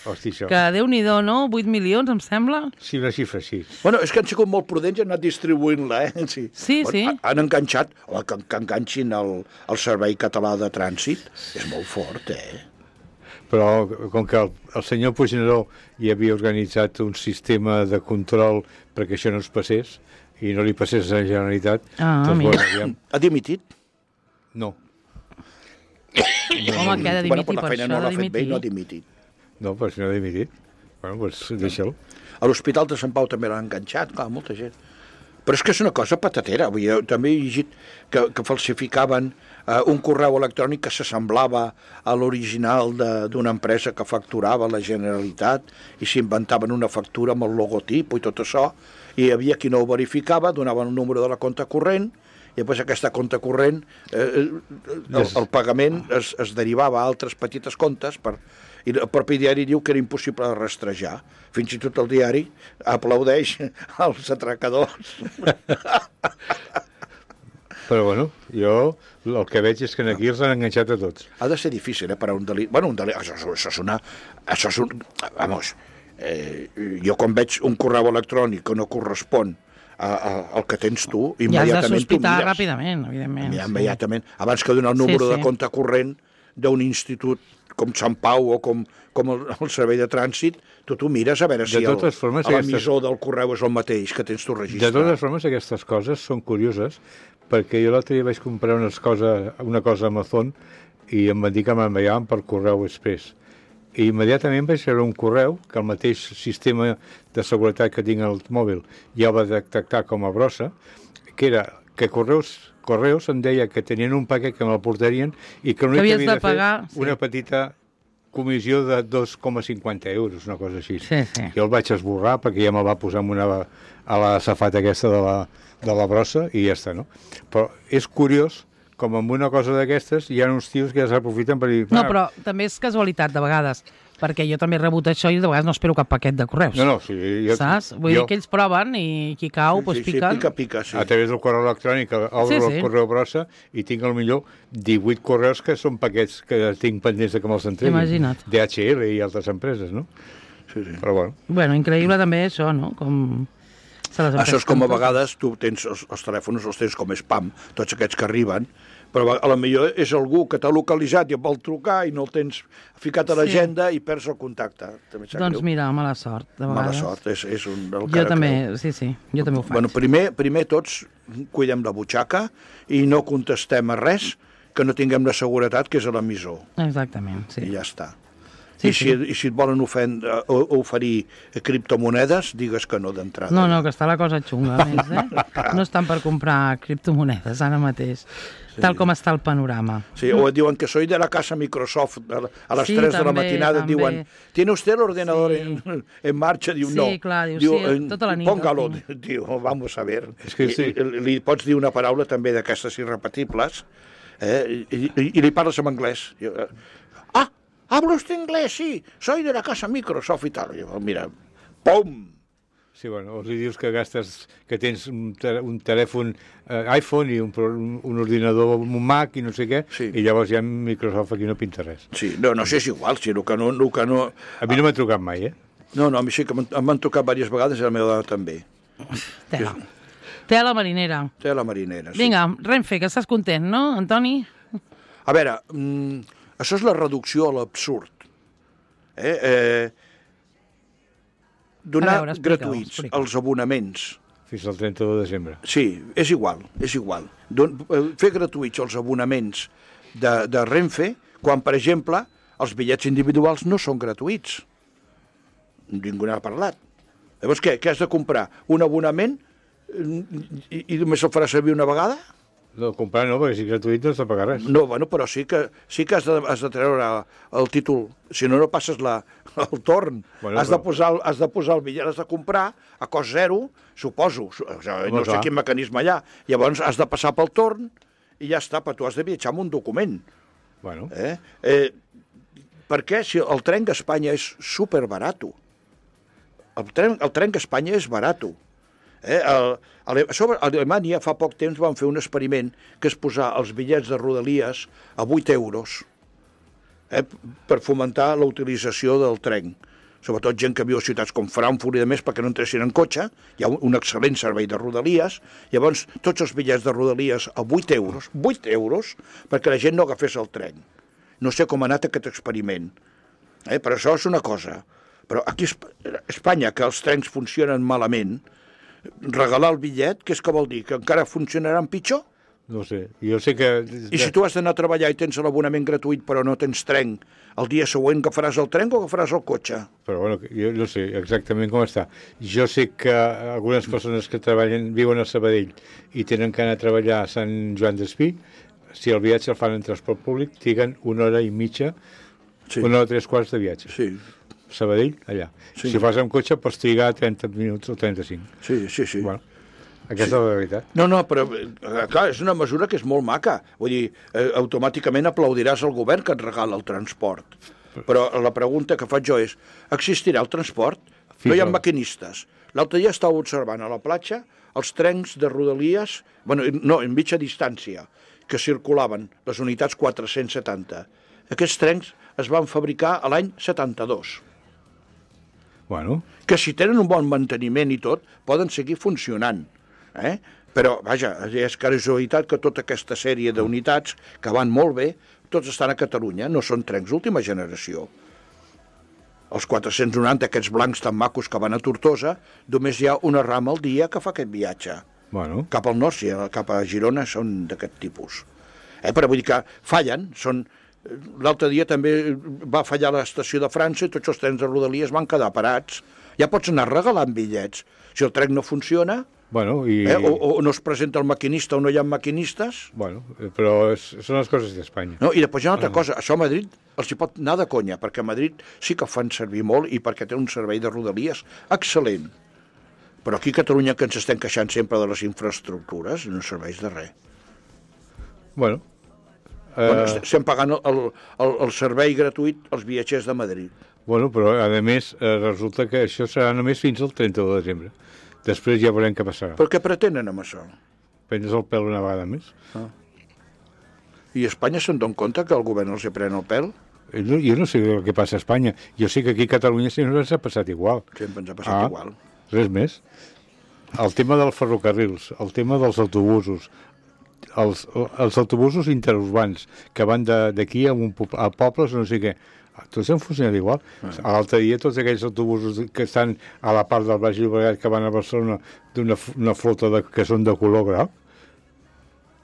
Hosti, això. que Déu-n'hi-do, no? 8 milions, em sembla? Sí, una xifra així. Bueno, és que han sigut molt prudents i han anat distribuint-la, Sí. Sí, sí. Han enganxat, que enganxin el Servei Català de Trànsit, és molt fort, Però com que el senyor Puigneró hi havia organitzat un sistema de control perquè això no es passés i no li passés a la Generalitat, Ah, doncs, mira. bueno, aviam, Ha dimitit? no. Home, que ha de dimitir, per la per feina això no ha l'ha de fet bé i dimitir. no ha dimitit. No, però si no ha dimitit. Bueno, doncs deixa'l. A l'Hospital de Sant Pau també l'han enganxat, clar, molta gent. Però és que és una cosa patatera. Vull dir, jo també he llegit que falsificaven un correu electrònic que s'assemblava a l'original d'una empresa que facturava la Generalitat i s'inventaven una factura amb el logotip i tot això, i hi havia qui no ho verificava, donaven el número de la compte corrent, i després aquesta compte corrent, el pagament es derivava a altres petites comptes i el propi diari diu que era impossible de rastrejar. Fins i tot el diari aplaudeix als atracadors. Però bueno, jo el que veig és que aquí els han enganxat a tots. Ha de ser difícil, per a un delit. Bueno, un delit, això és un... Vamos, jo quan veig un correu electrònic que no correspon al que tens tu, Ja has de immediatament tu sospitar mires. ràpidament, evidentment. Immediatament. Abans que donar el número Sí, sí. de compte corrent d'un institut com Sant Pau o com el Servei de Trànsit, tu mires a veure si totes formes, l'emissor del correu és el mateix que tens tu De registrat. totes formes, aquestes coses són curioses, perquè jo l'altre dia vaig comprar una cosa a Amazon i em van dir que m'enviaven per correu express. I immediatament vaig rebre un correu que el mateix sistema de seguretat que tinc al mòbil ja va detectar com a brossa, que era que Correus em deia que tenien un paquet que me'l portarien i que l'únic que havies havia de de fer pagar, sí. una petita comissió de 2,50 euros, una cosa així. Sí, sí. Jo el vaig esborrar perquè ja me'l va posar a la safata aquesta de la brossa i ja està, no? Però és curiós com amb una cosa d'aquestes hi ha uns tios que ja s'aprofiten per dir... No, però també és casualitat, de vegades, perquè jo també he rebut això i de vegades no espero cap paquet de correus. No, sí, saps? Vull dir que ells proven i qui cau, doncs piquen. Pica, sí. A través del correu electrònic obro el correu brossa i tinc al millor 18 correus que són paquets que tinc pendents de que me'ls entreguin. Imagina't. DHL i altres empreses, no? Sí. Però bueno. Bueno, increïble també això, no? Com... Això és com a vegades tu tens els telèfons, els tens com spam, tots aquests que arriben, però a la millor és algú que t'ha localitzat i et vol trucar i no el tens ficat a l'agenda i perds el contacte. Doncs mira, mala sort, de vegades. Mala sort, és un... Jo també, sí, jo també ho faig. Bueno, primer tots cuidem la butxaca i no contestem a res que no tinguem la seguretat que és a l'emissor. Exactament, sí. I ja està. Sí, I si et volen oferir criptomonedes, digues que no d'entrada. No, que està la cosa xunga, a més, No estan per comprar criptomonedes ara mateix, tal com està el panorama. Sí, o et diuen que soy de la casa Microsoft, a les 3 de la també, matinada et diuen, ¿tiene usted el ordenador en marcha? Diu, no. Sí, clar, diu, tota la nit. Póngalo, diu, vamos a ver. És que sí. Li pots dir una paraula també d'aquestes irrepetibles i li parles en anglès. Hablo usted inglés, sí, soy de la casa Microsoft i tal. Mira, pum! Sí, bueno, els dius que gastes, que tens un telèfon iPhone i un ordinador, un Mac i no sé què, sí. I llavors ja Microsoft aquí no pinta res. Sí, no sé, és igual, si el que no... A mi no m'ha trucat mai, No, a mi sí que m'han trucat diverses vegades i la meva dona també. Tela marinera. Tela marinera, sí. Vinga, Renfe, que estàs content, no, Antoni? A veure, això és la reducció a l'absurd. Donar gratuïts els abonaments. Fins al 31 de desembre. Sí, és igual. Fer gratuïts els abonaments de Renfe, quan, per exemple, els bitllets individuals no són gratuïts. Ningú n'ha parlat. Llavors, què has de comprar? Un abonament i només el faràs servir una vegada? No, comprar no, perquè si és gratuït no has de pagar res. No, bueno, però sí que has de treure el títol. Si no, no passes el torn. Bueno, has de posar el bitllet, has de comprar a cost zero, suposo. No sé quin mecanisme hi ha. Llavors has de passar pel torn i ja està, però tu has de viatjar amb un document. Bueno. Per què? Si el tren d'Espanya és superbarato. El tren d'Espanya és barato. A Alemanya fa poc temps van fer un experiment que és posar els bitllets de Rodalies a 8 euros per fomentar la utilització del tren. Sobretot gent que viu a ciutats com Frankfurt i de més perquè no entressin en cotxe, hi ha un excel·lent servei de Rodalies, llavors tots els bitllets de Rodalies a 8 euros, perquè la gent no agafés el tren. No sé com ha anat aquest experiment, però això és una cosa. Però aquí a Espanya, que els trens funcionen malament, regalar el bitllet, què és que vol dir? Que encara funcionaran pitjor? No sé, jo sé que... I si tu has d'anar a treballar i tens l'abonament gratuït però no tens tren, el dia següent agafaràs el tren o agafaràs el cotxe? Però bueno, jo no sé exactament com està. Jo sé que algunes persones que viuen a Sabadell i tenen que anar a treballar a Sant Joan d'Espí, si el viatge el fan en transport públic, triguen 1 hora i mitja, 1 hora 3/4 de viatge. Sí. Sabadell, allà. Sí. Si fas amb cotxe pots trigar 30 minuts o 35. Sí. Bueno, aquesta és la veritat. No, però clar, és una mesura que és molt maca. Vull dir, automàticament aplaudiràs al govern que et regala el transport. Però la pregunta que faig jo és, existirà el transport? No hi ha maquinistes. L'altre dia estava observant a la platja els trens de Rodalies, en mitja distància, que circulaven, les unitats 470. Aquests trens es van fabricar a l'any 72. Bueno. Que si tenen un bon manteniment i tot, poden seguir funcionant. Però, vaja, és casualitat que tota aquesta sèrie d'unitats que van molt bé, tots estan a Catalunya, no són trens d'última generació. Els 490, aquests blancs tan macos que van a Tortosa, només hi ha una rama al dia que fa aquest viatge. Bueno. Cap al nord, sí, cap a Girona són d'aquest tipus. Però vull dir que fallen, són... L'altre dia també va fallar l'estació de França i tots els trens de Rodalies van quedar parats. Ja pots anar regalant bitllets. Si el tren no funciona, o no es presenta el maquinista o no hi ha maquinistes... Bueno, però són les coses d'Espanya. No, i després hi ha una altra cosa. Això a Madrid els hi pot anar de conya, perquè a Madrid sí que fan servir molt i perquè té un servei de Rodalies excel·lent. Però aquí a Catalunya, que ens estem queixant sempre de les infraestructures, no serveix de res. Bueno, estem pagant el servei gratuït als viatgers de Madrid. Bueno, però a més resulta que això serà només fins al 31 de desembre. Després ja veurem què passarà. Però què pretenen amb això? Prendre's el pèl una vegada més. I a Espanya se'n dona compte que el govern els pren el pèl? Jo no sé el que passa a Espanya. Jo sé que aquí a Catalunya sempre ens ha passat igual. Sempre ens ha passat igual. Res més. El tema dels ferrocarrils, el tema dels autobusos, els autobusos interurbans que van d'aquí a pobles no sé què, tots han funcionat igual. L'altre dia tots aquells autobusos que estan a la part del Baix Llobregat que van a Barcelona d'una flota que són de color groc,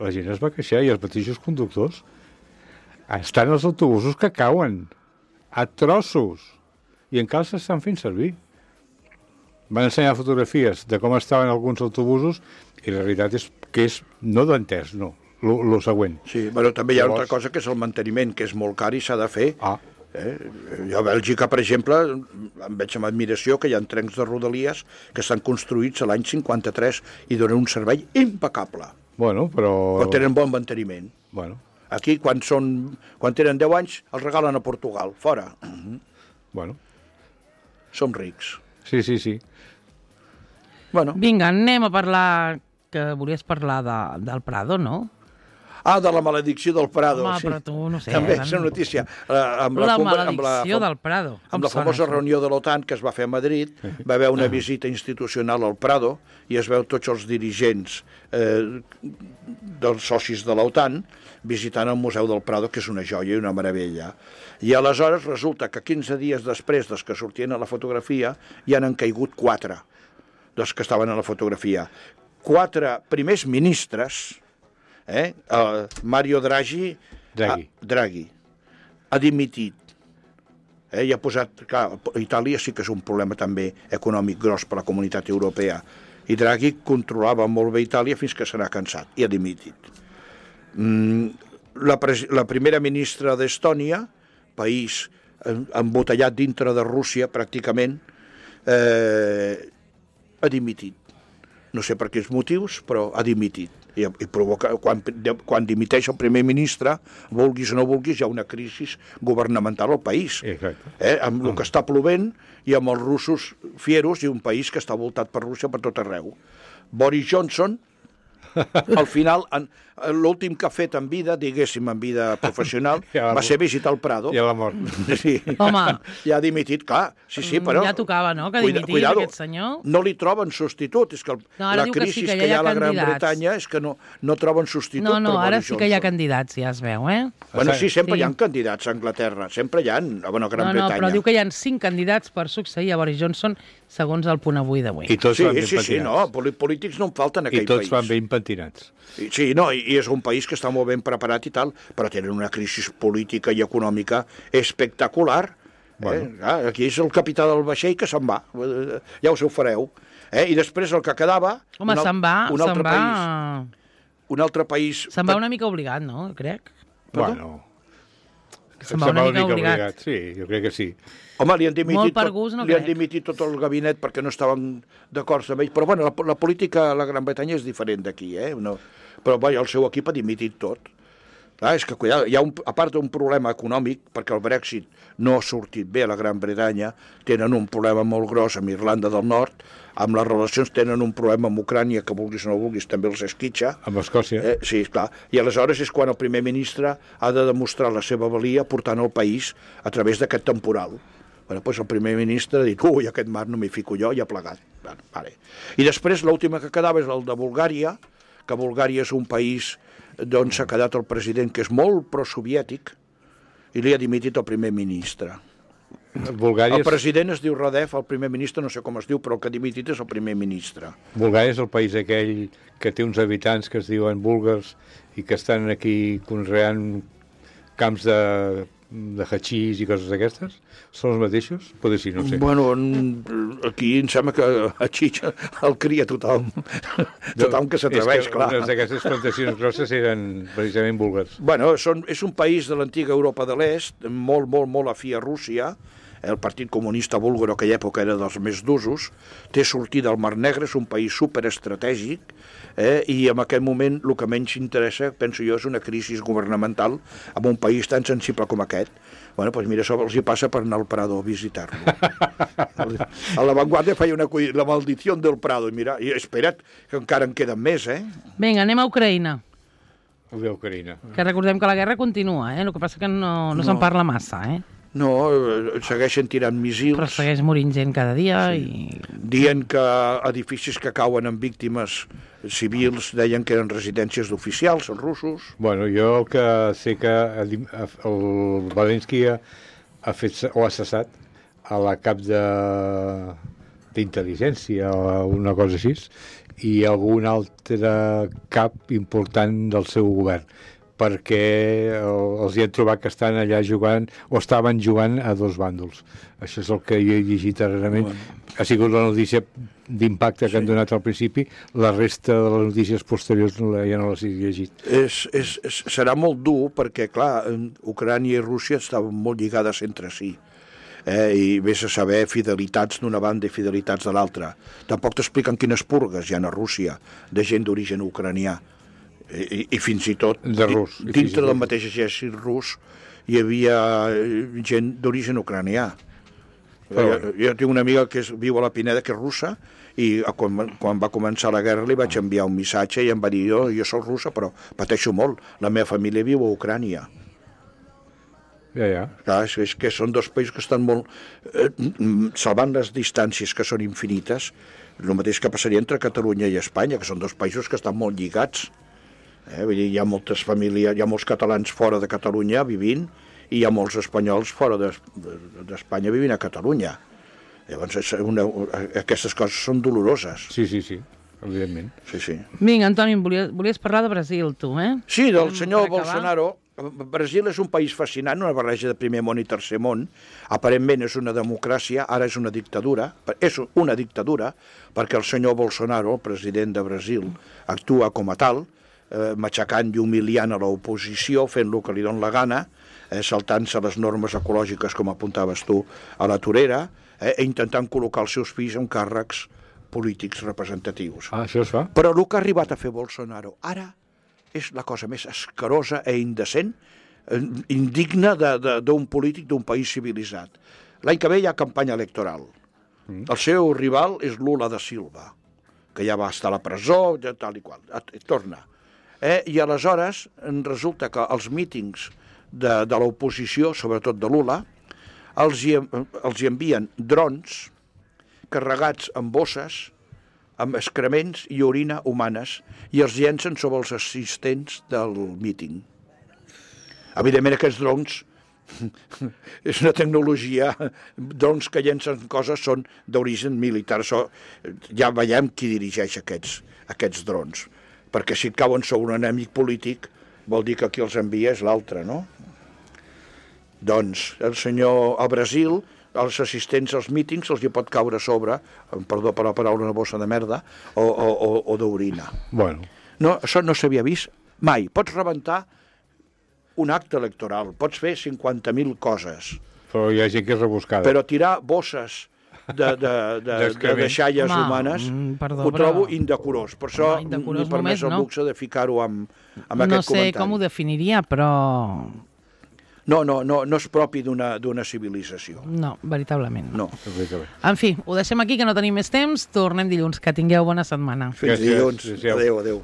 la gent es va queixar i els mateixos conductors. Estan els autobusos que cauen a trossos i encara s'estan fent servir. Van ensenyar fotografies de com estaven alguns autobusos i la veritat és que és no d'entès, no, lo següent. Sí, però també hi ha una altra cosa que és el manteniment, que és molt car i s'ha de fer. Jo a Bèlgica, per exemple, em veig amb admiració que hi ha trens de Rodalies que estan construïts a l'any 53 i donen un servei impecable. Bueno, però tenen bon manteniment. Bueno. Aquí, quan tenen 10 anys, els regalen a Portugal, fora. Bueno. Som rics. Sí. Bueno. Vinga, anem a parlar, que volies parlar del Prado, no? De la maledicció del Prado. Home, sí. però tu no sé. També és una notícia. La maledicció del Prado. Amb la famosa reunió de l'OTAN que es va fer a Madrid, va haver una visita institucional al Prado i es veu tots els dirigents dels socis de l'OTAN visitant el Museu del Prado, que és una joia i una meravella. I aleshores resulta que 15 dies després dels que sortien a la fotografia ja n'han caigut 4 dels que estaven a la fotografia. 4 primers ministres, Mario Draghi ha dimitit. I ha posat... Clar, Itàlia sí que és un problema també econòmic gros per a la comunitat europea. I Draghi controlava molt bé Itàlia fins que se n'ha cansat i ha dimitit. La primera ministra d'Estònia, país embotellat dintre de Rússia pràcticament, ha dimitit. No sé per quins motius, però ha dimitit. I provoca, quan dimiteix el primer ministre, vulguis o no vulguis, hi ha una crisi governamental al país. Amb el que està plovent i amb els russos fieros i un país que està voltat per Rússia per tot arreu. Boris Johnson, al final, l'últim que ha fet en vida, diguéssim, en vida professional, va ser visitar el Prado. I a la mort. Sí. Home. Ja ha dimitit, clar. Sí, però... Ja tocava, no?, que dimitís aquest senyor. No li troben substitut. És que la crisi que hi ha a la Gran Bretanya és que no troben substitut per Boris Johnson. No, ara sí que hi ha candidats, ja es veu, Bueno, sí, sempre hi ha candidats a Anglaterra. Sempre hi ha, a Gran Bretanya. No, però diu que hi ha 5 candidats per succeir a Boris Johnson, segons el Punt Avui d'avui. I tots van ben pentinats. Sí, no, polítics no en falten en aquell país. I tots van ben pentinats. Sí, no, i és un país que està molt ben preparat i tal, però tenen una crisi política i econòmica espectacular. Bueno. Aquí és el capità del vaixell que se'n va, ja us ho fareu. I després el que quedava... Home, se'n va... Un altre país... Se'n va una mica obligat, no?, crec. Bueno... Se'n va una mica obligat. Sí, jo crec que sí. Home, li han dimitit dimitit tot el gabinet perquè no estaven d'acord amb ell. Però, bueno, la política a la Gran Bretanya és diferent d'aquí, No, però, el seu equip ha dimitit tot. És que, cuidado, hi ha a part d'un problema econòmic, perquè el Brexit no ha sortit bé a la Gran Bretanya, tenen un problema molt gros amb Irlanda del Nord, amb les relacions tenen un problema amb Ucrània, que vulguis o no vulguis, també els esquitxa. Amb Escòcia. Sí, clar. I aleshores és quan el primer ministre ha de demostrar la seva valia portant el país a través d'aquest temporal. Bueno, doncs el primer ministre ha dit, aquest mar no m'hi fico jo, i ha plegat. Vale. I després l'última que quedava és el de Bulgària, que Bulgària és un país d'on s'ha quedat el president, que és molt prosoviètic, i li ha dimitit el primer ministre. El president es diu Radev, el primer ministre no sé com es diu, però el que ha dimitit és el primer ministre. Bulgària és el país aquell que té uns habitants que es diuen búlgars i que estan aquí conreant camps de hachís i coses d'aquestes? Són els mateixos? Potser sí, no sé. Bueno, aquí em sembla que hachís el cria tothom. Tothom que s'atreveix, clar. Unes d'aquestes plantacions grosses eren precisament búlgars. Bueno, és un país de l'antiga Europa de l'Est, molt, molt, molt afí a Rússia. El Partit Comunista Búlgar, a aquella època, era dels més d'usos. Té sortida al Mar Negre, és un país superestratègic, i en aquest moment el que menys interessa, penso jo, és una crisi governamental en un país tan sensible com aquest. Bueno, doncs mira, això els hi passa per anar al Prado a visitar-lo. A La Vanguardia feia la maldició del Prado, i mira, i espera't, que encara en queden més, Vinga, anem a Ucraïna. Ucraïna. Que recordem que la guerra continua, el que passa que no se'n parla massa, No, segueixen tirant missils. Però segueix morint gent cada dia Dient que edificis que cauen amb víctimes civils deien que eren residències d'oficials, els russos. Bueno, jo el que sé que el Zelensky ha fet o ha cessat a la cap d'intel·ligència o una cosa així i algun altre cap important del seu govern, perquè els hi han trobat que estan allà jugant o estaven jugant a dos bàndols. Això és el que jo he llegit darrerament. Ha sigut la notícia d'impacte que han donat al principi. La resta de les notícies posteriors ja no les he llegit. Serà molt dur perquè, clar, Ucrània i Rússia estaven molt lligades entre si. I vés a saber fidelitats d'una banda i fidelitats de l'altra. Tampoc t'expliquen quines purgues hi ha a Rússia de gent d'origen ucranià. I fins i tot dintre del mateix exèrcit rus hi havia gent d'origen ucranià. Jo tinc una amiga que viu a la Pineda, que és russa, i quan va començar la guerra li vaig enviar un missatge i em va dir, jo soc russa però pateixo molt, la meva família viu a Ucrània. Clar, és que són dos països que estan molt salvant les distàncies que són infinites, el mateix que passaria entre Catalunya i Espanya, que són dos països que estan molt lligats. Vull dir, hi ha moltes famílies, hi ha molts catalans fora de Catalunya vivint i hi ha molts espanyols fora d'Espanya vivint a Catalunya. Llavors, aquestes coses són doloroses. Sí, evidentment. Sí. Vinga, Antoni, volies parlar de Brasil, tu, Sí, del senyor Bolsonaro. Brasil és un país fascinant, una barreja de primer món i tercer món. Aparentment és una democràcia, ara és una dictadura. És una dictadura perquè el senyor Bolsonaro, el president de Brasil, actua com a tal. matxacant i humiliant a l'oposició, fent el que li dona la gana, saltant-se les normes ecològiques, com apuntaves tu, a la torera, intentant col·locar els seus fills en càrrecs polítics representatius. Això es fa? Però el que ha arribat a fer Bolsonaro ara és la cosa més escarosa i indecent, indigna d'un polític d'un país civilitzat. L'any que ve hi ha campanya electoral. El seu rival és Lula da Silva, que ja va estar a la presó, tal i qual. Torna. I aleshores resulta que els mítings de l'oposició, sobretot de Lula, els hi envien drons carregats amb bosses, amb excrements i orina humanes, i els llencen sobre els assistents del míting. Evidentment, aquests drons és una tecnologia, drons que llencen coses són d'origen militar. Ja veiem qui dirigeix aquests drons, perquè si et cauen sobre un enemic polític vol dir que qui els envia és l'altre, no? Doncs al Brasil, els assistents als mítings els hi pot caure sobre, perdó per la paraula, una bossa de merda o d'orina. Bueno. No, això no s'havia vist mai. Pots rebentar un acte electoral, pots fer 50.000 coses. Però hi ha gent que és rebuscada. Però tirar bosses de deixalles humanes ho trobo indecorós. Per això m'he permès el luxe de ficar-ho amb aquest comentari. No sé com ho definiria, però... No és propi d'una civilització. No, veritablement no. En fi, ho deixem aquí, que no tenim més temps. Tornem dilluns. Que tingueu bona setmana. Fins dilluns. Adéu.